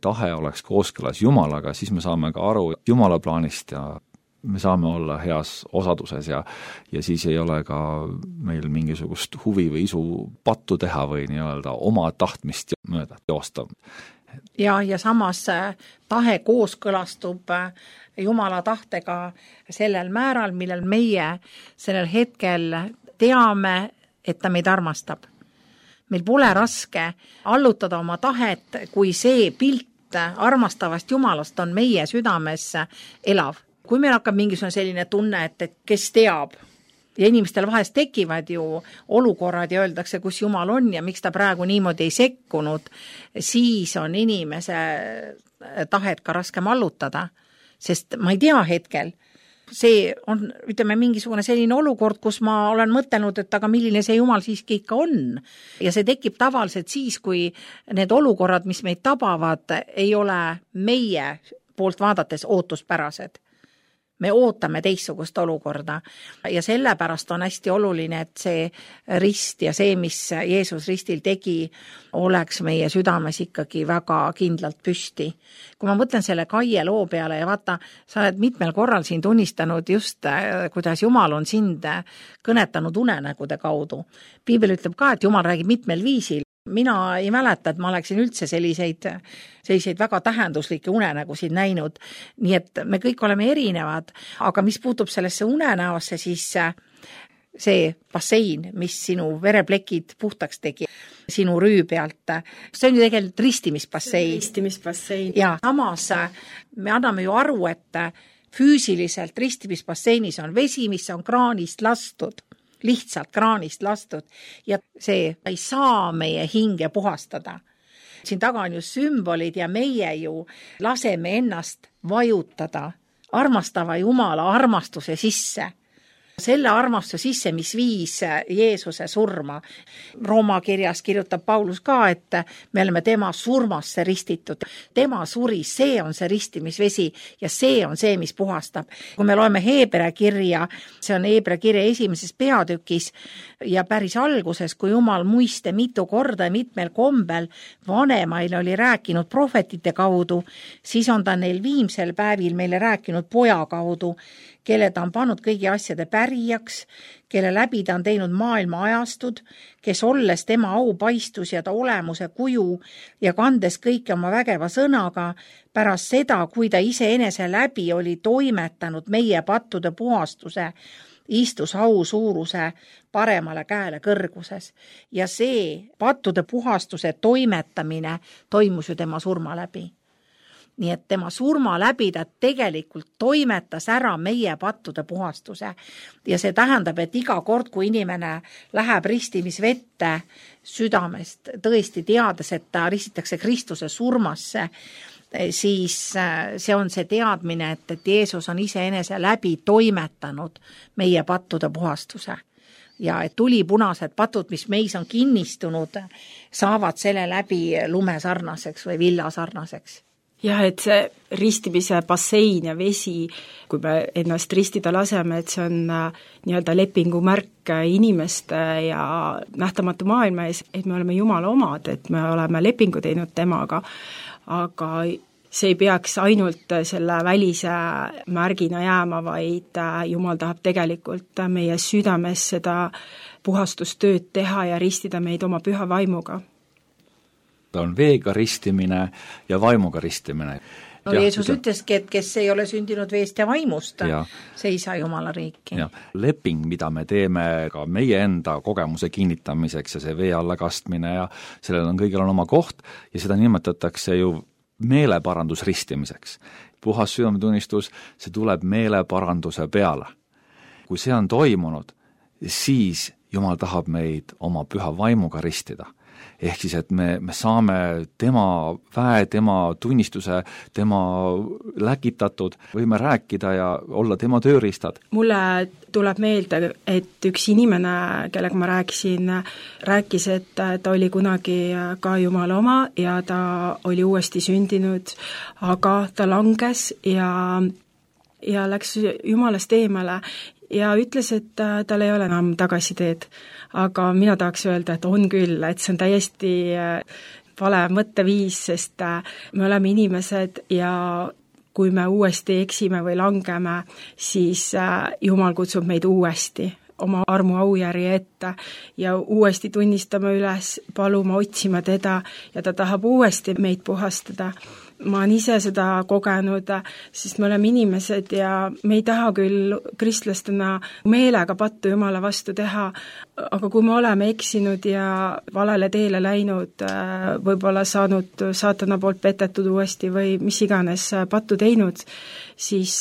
tahe oleks kooskõlas Jumalaga, siis me saame ka aru Jumala plaanist ja me saame olla heas osaduses ja siis ei ole ka meil mingisugust huvi või isu pattu teha või nii-öelda oma tahtmist mööda joosta. Ja samas tahe kooskõlastub Jumala tahtega sellel määral, millel meie sellel hetkel teame, et ta meid armastab. Meil pole raske allutada oma tahet, kui see pilt armastavast Jumalast on meie südames elav. Kui meil hakkab mingisugune selline tunne, et kes teab, ja inimestel vahest tekivad ju olukorrad ja öeldakse, kus Jumal on ja miks ta praegu niimoodi ei sekkunud, siis on inimese tahet ka raskem allutada, sest ma ei tea hetkel. See on, ütleme, mingisugune selline olukord, kus ma olen mõtelnud, et aga milline see Jumal siiski ikka on. Ja see tekib tavaliselt siis, kui need olukorrad, mis meid tabavad, ei ole meie poolt vaadates ootuspärased. me ootame teistsugust olukorda ja sellepärast on hästi oluline, et see rist ja see, mis Jeesus ristil tegi, oleks meie südames ikkagi väga kindlalt püsti. Kui ma mõtlen selle Kaie loo peale ja vaata, sa oled mitmel korral siin tunnistanud just, kuidas Jumal on sind kõnetanud unenägude kaudu. Piibel ütleb ka, et Jumal räägib mitmel viisil. Mina ei mäleta, et ma oleksin üldse selliseid väga tähenduslikke unenägusid näinud, nii et me kõik oleme erinevad, aga mis puutub sellesse unenäosse, siis see bassein, mis sinu vereplekid puhtaks tegi sinu rüü pealt, see on ju tegelikult ristimisbassein. Ja samas me anname ju aru, et füüsiliselt ristimisbasseinis on vesi, mis on kraanist lastud. Lihtsalt kraanist lastud ja see ei saa meie hinge puhastada. Siin taga on ju sümbolid ja meie ju laseme ennast vajutada armastava Jumala armastuse sisse. Selle armastuse sisse, mis viis Jeesuse surma. Rooma kirjas kirjutab Paulus ka, et me oleme tema surmasse ristitud. Tema suri, see on see ristimisvesi ja see on see, mis puhastab. Kui me loeme Heebrea kirja, see on Heebrea kirja 1. peatükis ja päris alguses, kui Jumal muiste mitu korda ja mitmel kombel vanemaile oli rääkinud prohvetite kaudu, siis on ta neil viimsel päevil meile rääkinud poja kaudu, kelle ta on pannud kõigi asjade pärijaks, kelle läbi ta on teinud maailma ajastud, kes olles tema aupaistus ja ta olemuse kuju ja kandes kõike oma vägeva sõnaga, pärast seda, kui ta iseenese läbi oli toimetanud meie pattude puhastuse, istus au suuruse paremale käele kõrguses. Ja see pattude puhastuse toimetamine toimus ju tema surma läbi. Nii et tema surma läbi ta tegelikult toimetas ära meie pattude puhastuse ja see tähendab, et iga kord, kui inimene läheb ristimisvette südamest, tõesti teades, et ta ristitakse Kristuse surmasse, siis see on see teadmine, et Jeesus on iseenese läbi toimetanud meie pattude puhastuse. Ja et tulipunased patud, mis meis on kinnistunud, saavad selle läbi lumesarnaseks või villasarnaseks. Jah, et see ristimise bassein ja vesi, kui me ennast ristida laseme, et see on nii-öelda lepingumärk inimeste ja nähtamatu maailma ees, et me oleme Jumala omad, et me oleme lepingu teinud temaga, aga see ei peaks ainult selle välise märgina jääma, vaid Jumal tahab tegelikult meie südames seda puhastustööd teha ja ristida meid oma püha vaimuga. Ta on veega ristimine ja vaimuga ristimine. No Jeesus ütleski, et kes ei ole sündinud veest ja vaimust, see ei saa Jumala riiki. Ja. Leping, mida me teeme ka meie enda kogemuse kinnitamiseks ja see vee alla kastmine ja sellel on kõigil on oma koht ja seda nimetatakse ju meeleparandus ristimiseks. Puhas südametunnistus, see tuleb meeleparanduse peale. Kui see on toimunud, siis Jumal tahab meid oma püha vaimuga ristida. Ehk siis, et me saame tema väe, tema tunnistuse, tema läkitatud, võime rääkida ja olla tema tööriistad. Mulle tuleb meelde, et üks inimene, kellega ma rääkis, et ta oli kunagi ka Jumala oma ja ta oli uuesti sündinud, aga ta langes ja läks Jumalast eemale ja ütles, et tal ei ole enam tagasiteed. Aga mina tahaks öelda, et on küll, et see on täiesti vale mõtteviis, sest me oleme inimesed ja kui me uuesti eksime või langeme, siis Jumal kutsub meid uuesti oma armu aujärje ette ja uuesti tunnistame üles, paluma, otsima teda ja ta tahab uuesti meid puhastada. Ma olen ise seda kogenud, sest me oleme inimesed ja me ei taha küll kristlastena meelega pattu Jumala vastu teha, aga kui me oleme eksinud ja valele teele läinud, võib-olla saanud saatana poolt petetud uuesti või mis iganes pattu teinud, siis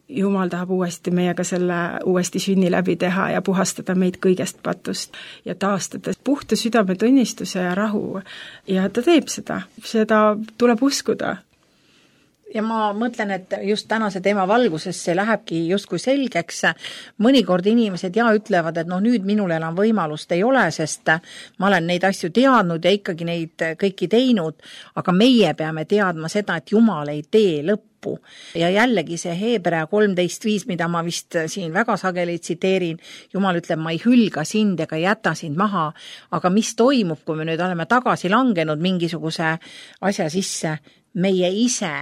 Jumal tahab uuesti meiega selle uuesti sünni läbi teha ja puhastada meid kõigest patust ja taastada puhta südametunnistuse ja rahu. Ja ta teeb seda tuleb uskuda. ja ma mõtlen, et just tänase teema valguses see lähebki justkui selgeks. Mõnikord inimesed ütlevad, et nüüd minul enam võimalust ei ole, sest ma olen neid asju teadnud ja ikkagi neid kõiki teinud, aga meie peame teadma seda, et Jumal ei tee lõppu. Ja jällegi see Hebrea 13.5, mida ma vist siin väga sageli tsiteerin, Jumal ütleb, ma ei hülga sind ega jäta sind maha, aga mis toimub, kui me nüüd oleme tagasi langenud mingisuguse asja sisse, meie ise,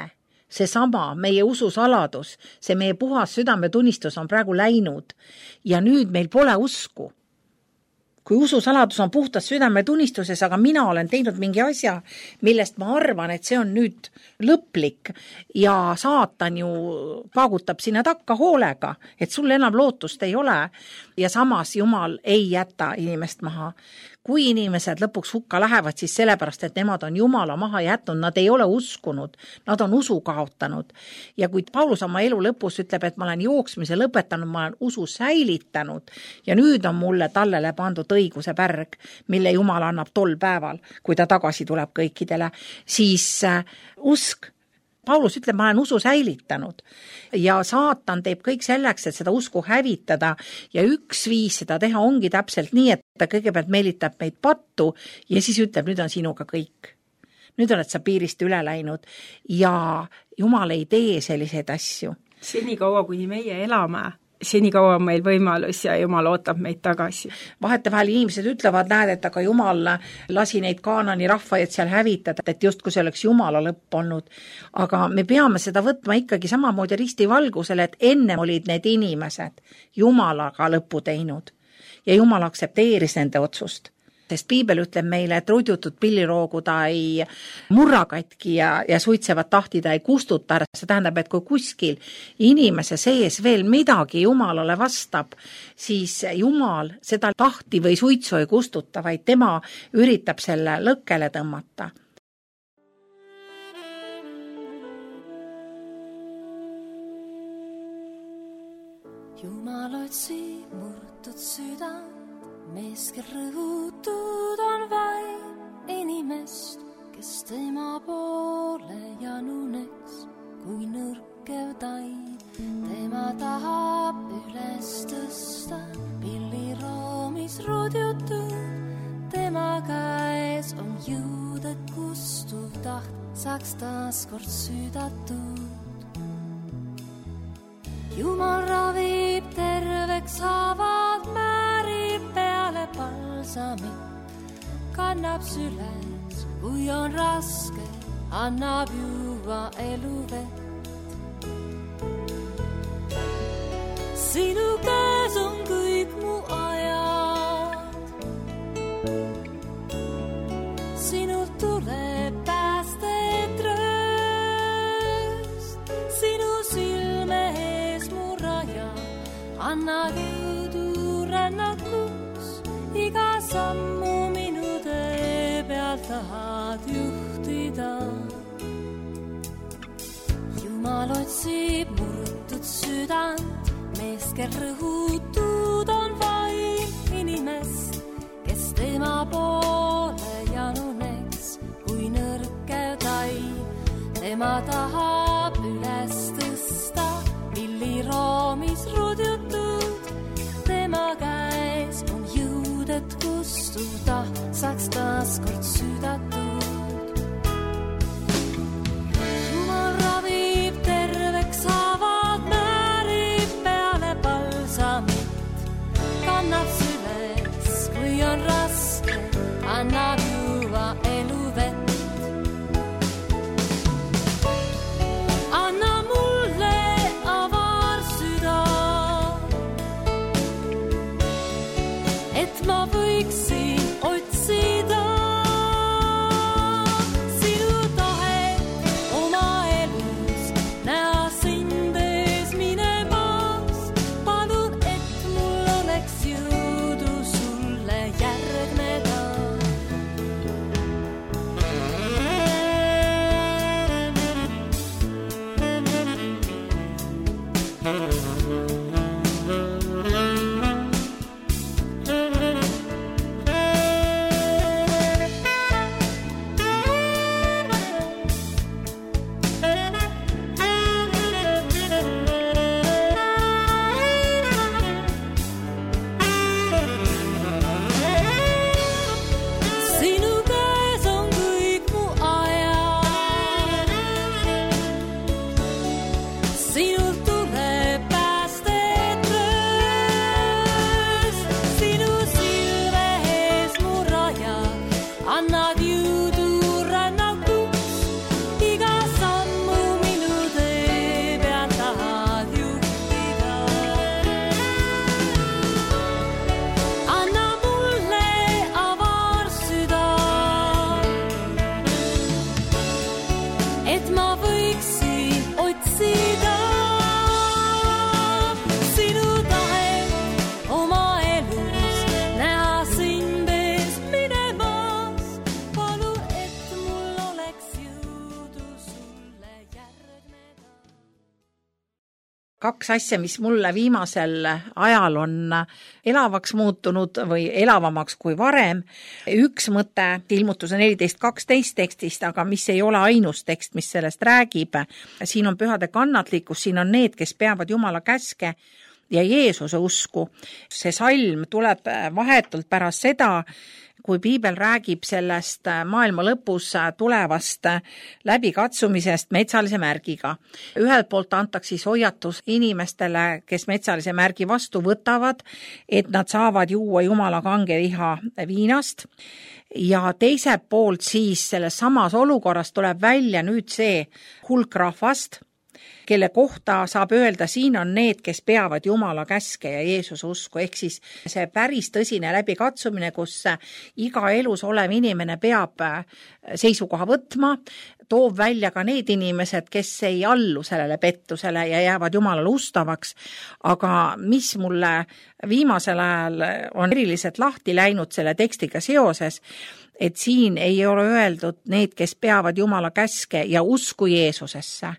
seesama meie ususaladus, see meie puhas südametunnistus on praegu läinud ja nüüd meil pole usku. Kui ususaladus on puhtas südametunnistuses, aga mina olen teinud mingi asja, millest ma arvan, et see on nüüd lõplik ja saatan ju paagutab sinna takka hoolega, et sul enam lootust ei ole ja samas Jumal ei jäta inimest maha. Kui inimesed lõpuks hukka lähevad, siis sellepärast, et nemad on Jumala maha jätnud, nad ei ole uskunud, nad on usu kaotanud. Ja kui Paulus oma elu lõpus ütleb, et ma olen jooksmise lõpetanud, ma olen usu säilitanud ja nüüd on mulle tallele pandud õiguse pärg, mille Jumal annab tol päeval, kui ta tagasi tuleb kõikidele, siis usk. Paulus ütleb, ma olen usu säilitanud ja saatan teeb kõik selleks, et seda usku hävitada ja üks viis seda teha ongi täpselt nii, et ta kõigepealt meelitab meid pattu ja siis ütleb, nüüd on sinuga kõik. Nüüd oled sa piirist üle läinud ja Jumal ei tee selliseid asju. Senikaua, kuni meie elame, senikaua on meil võimalus ja Jumal ootab meid tagasi. Vahetevahel inimesed ütlevad, näed, et aga Jumal lasi neid Kaanani rahvaid seal hävitada, et just kui see oleks Jumala lõpp olnud. Aga me peame seda võtma ikkagi samamoodi ristivalgusele, et enne olid need inimesed Jumalaga lõppu teinud ja Jumal aktsepteeris nende otsust. Sest Piibel ütleb meile, et rudjutud pilliroogu ta ei murra katki ja suitsevat tahti ta ei kustuta. See tähendab, et kui kuskil inimese sees veel midagi Jumalale vastab, siis Jumal seda tahti või suitsu ei kustuta, vaid tema üritab selle lõkkele tõmmata. Jumal otsib murtud südant, mees, kel rõhutud on vaid inimest, kes tema poole januneks kui nõrkev taim. Tema tahab üles tõsta pilliroomis rudjutud, tema käes on jõud, et kustuv taht saaks taaskord südatud. Jumal ravib terveks haavad, määrib peale palsamit, kannab süles, kui on raske, annab juua eluvett. Sinu käes on kõik mu ajad, sinult tuleb päästet rööst, sinu silme ees mu raja, anna jõudu rännakuks, iga sammu minu tee peal tahad juhtida. Jumal otsib murtud südant, mees, kel rõhutud on vaid inimest, kes tema poole januneks kui nõrkev taim. Tema tahab üles tõsta pilliroomis rudjutud, tema käes on jõud, et kustuda saaks taaskord südatud. Jumal ravib terveks haavad, määrib peale palsamit, kannab süles, kui on raske, annab juua eluvett. Anna mulle avar süda, et ma võiksin otsida sinu tahet oma elus, näha sind ees minemas. Palun, et mul oleks jõudu sulle järgneda. annad jõudu rännakuks, iga sammu minu tee peal tahad juhtida. Anna mulle avar süda, et ma võiksin otsida sinu tahet oma elus, näha sind ees minemas. Palun, et mul oleks jõudu sulle järgneda. Kaks asja, mis mulle viimasel ajal on elavaks muutunud või elavamaks kui varem. Üks mõte ilmutuse 14.12 tekstist, aga mis ei ole ainus tekst, mis sellest räägib. Siin on pühade kannatlikkus, siin on need, kes peavad Jumala käske ja Jeesuse usku. See salm tuleb vahetult pärast seda, kui piibel räägib sellest maailma lõpus tulevast läbikatsumisest metsalise märgiga. Ühelt poolt antakse siis hoiatus inimestele, kes metsalise märgi vastu võtavad, et nad saavad juua Jumala kange viha viinast. Ja teiselt poolt siis selles samas olukorras tuleb välja nüüd see hulk rahvast, kelle kohta saab öelda, siin on need, kes peavad Jumala käske ja Jeesuse usku, ehk siis see päris tõsine läbikatsumine, kus iga elus olev inimene peab seisukoha võtma, toob välja ka need inimesed, kes ei allu sellele pettusele ja jäävad Jumalale ustavaks, aga mis mulle viimasel ajal on eriliselt lahti läinud selle tekstiga seoses, et siin ei ole öeldud need, kes peavad Jumala käske ja usku Jeesusesse,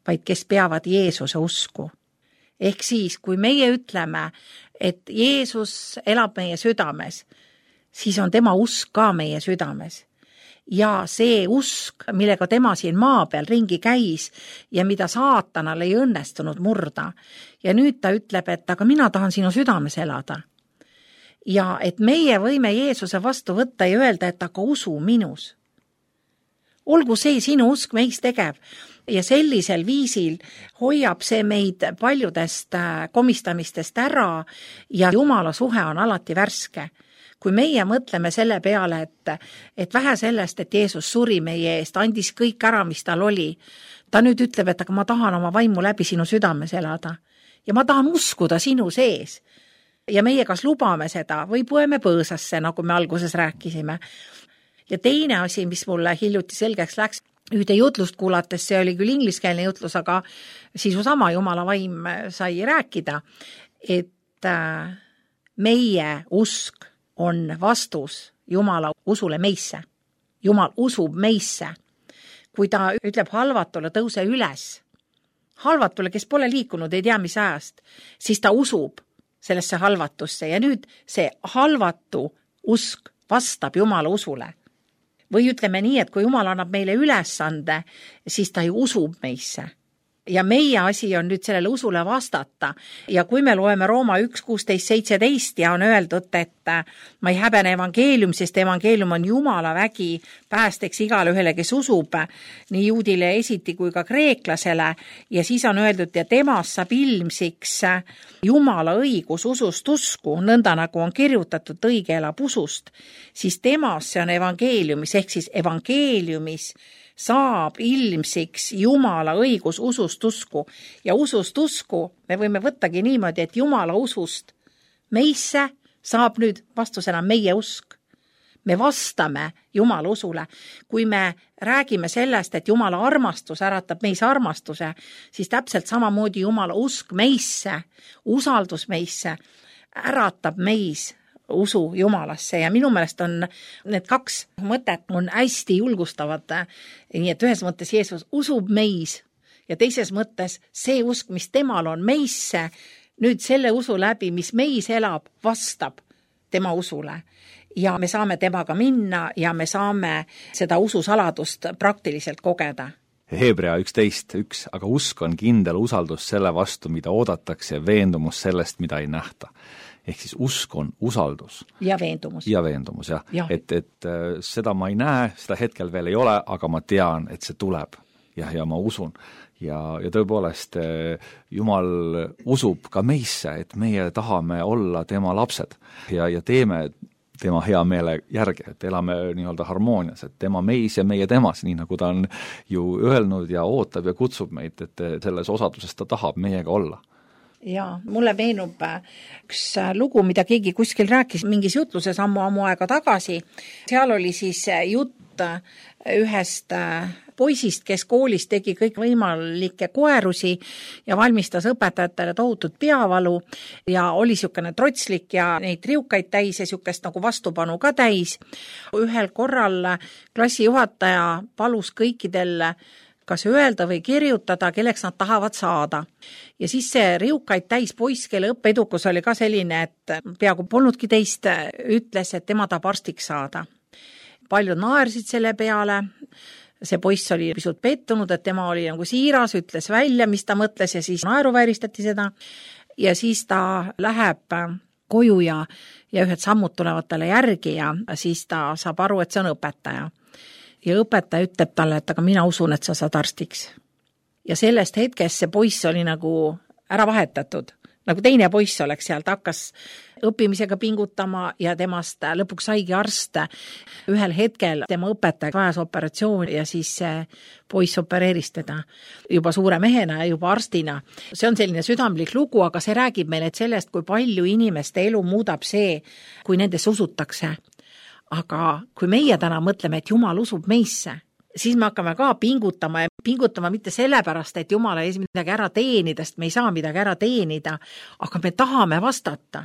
vaid kes peavad Jeesuse usku. Ehk siis, kui meie ütleme, et Jeesus elab meie südames, siis on tema usk ka meie südames. Ja see usk, millega tema siin maa peal ringi käis ja mida saatanal ei õnnestunud murda. Ja nüüd ta ütleb, et aga mina tahan sinu südames elada. Ja et meie võime Jeesuse vastu võtta ja öelda, et aga usu minus. Olgu see sinu usk meis tegev. Ja sellisel viisil hoiab see meid paljudest komistamistest ära ja Jumala suhe on alati värske. Kui meie mõtleme selle peale, et vähe sellest, et Jeesus suri meie eest, andis kõik ära, mis tal oli, ta nüüd ütleb, et aga ma tahan oma vaimu läbi sinu südames elada ja ma tahan uskuda sinu sees. Ja meie kas lubame seda või põeme põõsasse, nagu me alguses rääkisime. Ja teine asi, mis mulle hiljuti selgeks läks, ühte jutlust kuulates, see oli küll ingliskeelne jutlus, aga sisu sama Jumala vaim sai rääkida, et meie usk on vastus Jumala usule meisse. Jumal usub meisse. Kui ta ütleb halvatule tõuse üles, halvatule, kes pole liikunud, ei tea mis ajast, siis ta usub sellesse halvatusse ja nüüd see halvatu usk vastab Jumala usule. Või ütleme nii, et kui Jumal annab meile ülesande, siis ta ju usub meisse. Ja meie asi on nüüd sellele usule vastata. Ja kui me loeme Rooma 1.16.17 ja on öeldud, et ma ei häbene evangeelium, sest evangeelium on Jumala vägi päästeks igale ühele, kes usub, nii juudile esiti kui ka kreeklasele. Ja siis on öeldud, ja temas saab ilmsiks Jumala õigus usust usku, nõnda nagu on kirjutatud, õige elab usust, siis temas see on evangeeliumis, ehk siis evangeeliumis saab ilmsiks Jumala õigus usust usku. Ja usust usku me võime võttagi niimoodi, et Jumala usust meisse saab nüüd vastusena meie usk. Me vastame Jumala usule. Kui me räägime sellest, et Jumala armastus äratab meis armastuse, siis täpselt samamoodi Jumala usk meisse, usaldus meisse äratab meis usu Jumalasse ja minu meelest on need kaks mõtet on hästi julgustavad. Nii et ühes mõttes Jeesus usub meis ja teises mõttes see usk, mis temal on meisse, nüüd selle usu läbi, mis meis elab, vastab tema usule. Ja me saame temaga minna ja me saame seda ususaladust praktiliselt kogeda. Hebrea 11.1, aga usk on kindel usaldus selle vastu, mida oodatakse ja veendumus sellest, mida ei nähta. Ehk siis usk on usaldus. Ja veendumus. Ja veendumus, jah. Ja. Et seda ma ei näe, seda hetkel veel ei ole, aga ma tean, et see tuleb. Ja ma usun. Ja tõepoolest Jumal usub ka meisse, et meie tahame olla tema lapsed. Ja teeme tema hea meele järgi, et elame nii-öelda harmoonias, et tema meis ja meie temas, nii nagu ta on ju öelnud ja ootab ja kutsub meid, et selles osaduses ta tahab meiega olla. Ja mulle meenub üks lugu, mida keegi kuskil rääkis mingis jutluses ammu aega tagasi. Seal oli siis jutt ühest poisist, kes koolis tegi kõik võimalikke koerusi ja valmistas õpetajatele tohutut peavalu ja oli niisugune trotslik ja neid riukaid täis ja niisugust nagu vastupanu ka täis. Ühel korral klassijuhataja palus kõikidel kas öelda või kirjutada, kelleks nad tahavad saada. Ja siis see riukaid täis poiss, kelle õppeedukus oli ka selline, et peaaegu polnudki teist, ütles, et tema tahab arstiks saada. Paljud naersid selle peale, see poiss oli pisut pettunud, et tema oli nagu siiras, ütles välja, mis ta mõtles ja siis naeruvääristati seda. Ja siis ta läheb koju ja ühed sammud tulevad talle järgi ja siis ta saab aru, et see on õpetaja. Ja õpetaja ütleb talle, et aga mina usun, et sa saad arstiks. Ja sellest hetkest see poiss oli nagu ära vahetatud. Nagu teine poiss oleks seal, ta hakkas õppimisega pingutama ja temast lõpuks saigi arst. Ühel hetkel tema õpetaja vajas operatsiooni ja siis see poiss opereeris teda juba suure mehena ja juba arstina. See on selline südamlik lugu, aga see räägib meile sellest, kui palju inimeste elu muudab see, kui nendesse usutakse. Aga kui meie täna mõtleme, et Jumal usub meisse, siis me hakkame ka pingutama mitte sellepärast, et Jumal ei saa midagi ära teenida, sest me ei saa midagi ära teenida, aga me tahame vastata.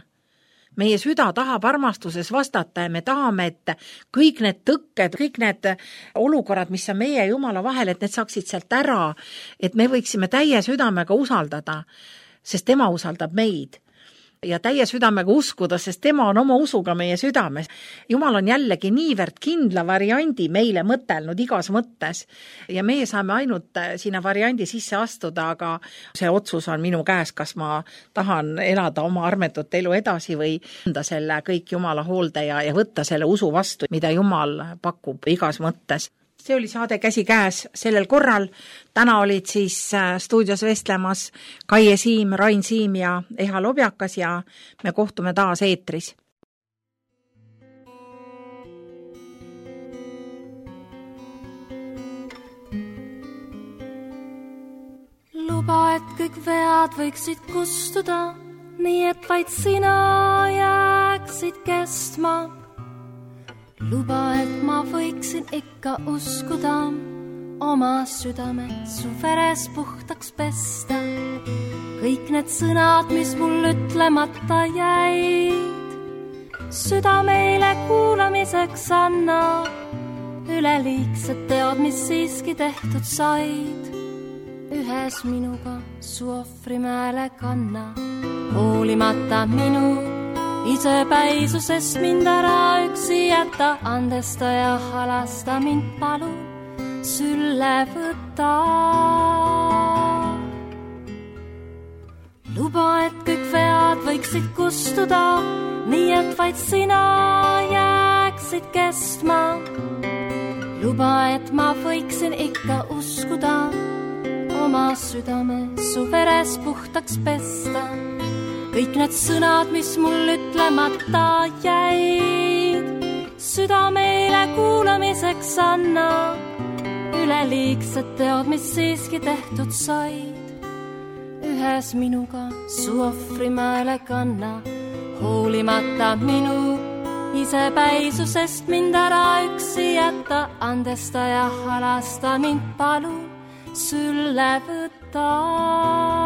Meie süda tahab armastuses vastata ja me tahame, et kõik need tõkked, kõik need olukorrad, mis on meie ja Jumala vahel, et need saaksid sealt ära, et me võiksime täie südamega usaldada, sest tema usaldab meid. Ja täie südamega uskuda, sest tema on oma usuga meie südames. Jumal on jällegi niivõrd kindla variandi meile mõtelnud igas mõttes ja meie saame ainult sinna variandi sisse astuda, aga see otsus on minu käes, kas ma tahan elada oma armetut elu edasi või anda selle kõik Jumala hoolde ja võtta selle usu vastu, mida Jumal pakub igas mõttes. See oli saade Käsi käes sellel korral. Täna olid siis stuudios vestlemas Kaie Siim, Rain Siim ja Eha Lobjakas ja me kohtume taas eetris. Luba, et kõik vead võiksid kustuda, nii et vaid sina jääksid kestma. Luba, et ma võiksin ikka uskuda, oma südame su veres puhtaks pesta. Kõik need sõnad, mis mul ütlemata jäid, südameile kuulamiseks anna. Üleliigsed teod, mis siiski tehtud said, ühes minuga su ohvrimäele kanna. Hoolimata minu isepäisusest mind ära üksi jätta, andesta ja halasta mind palun sülle võtta. Luba, et kõik vead võiksid kustuda, nii et vaid sina jääksid kestma. Luba, et ma võiksin ikka uskuda, oma südame su veres puhtaks pesta. Kõik need sõnad, mis mul ütlemata jäid, südameile kuulamiseks anna. Üleliigsed teod, mis siiski tehtud said, ühes minuga su ohvrimäele kanna. Hoolimata minu isepäisusest mind ära üksi jätta, andesta ja halasta mind palun sülle võtta.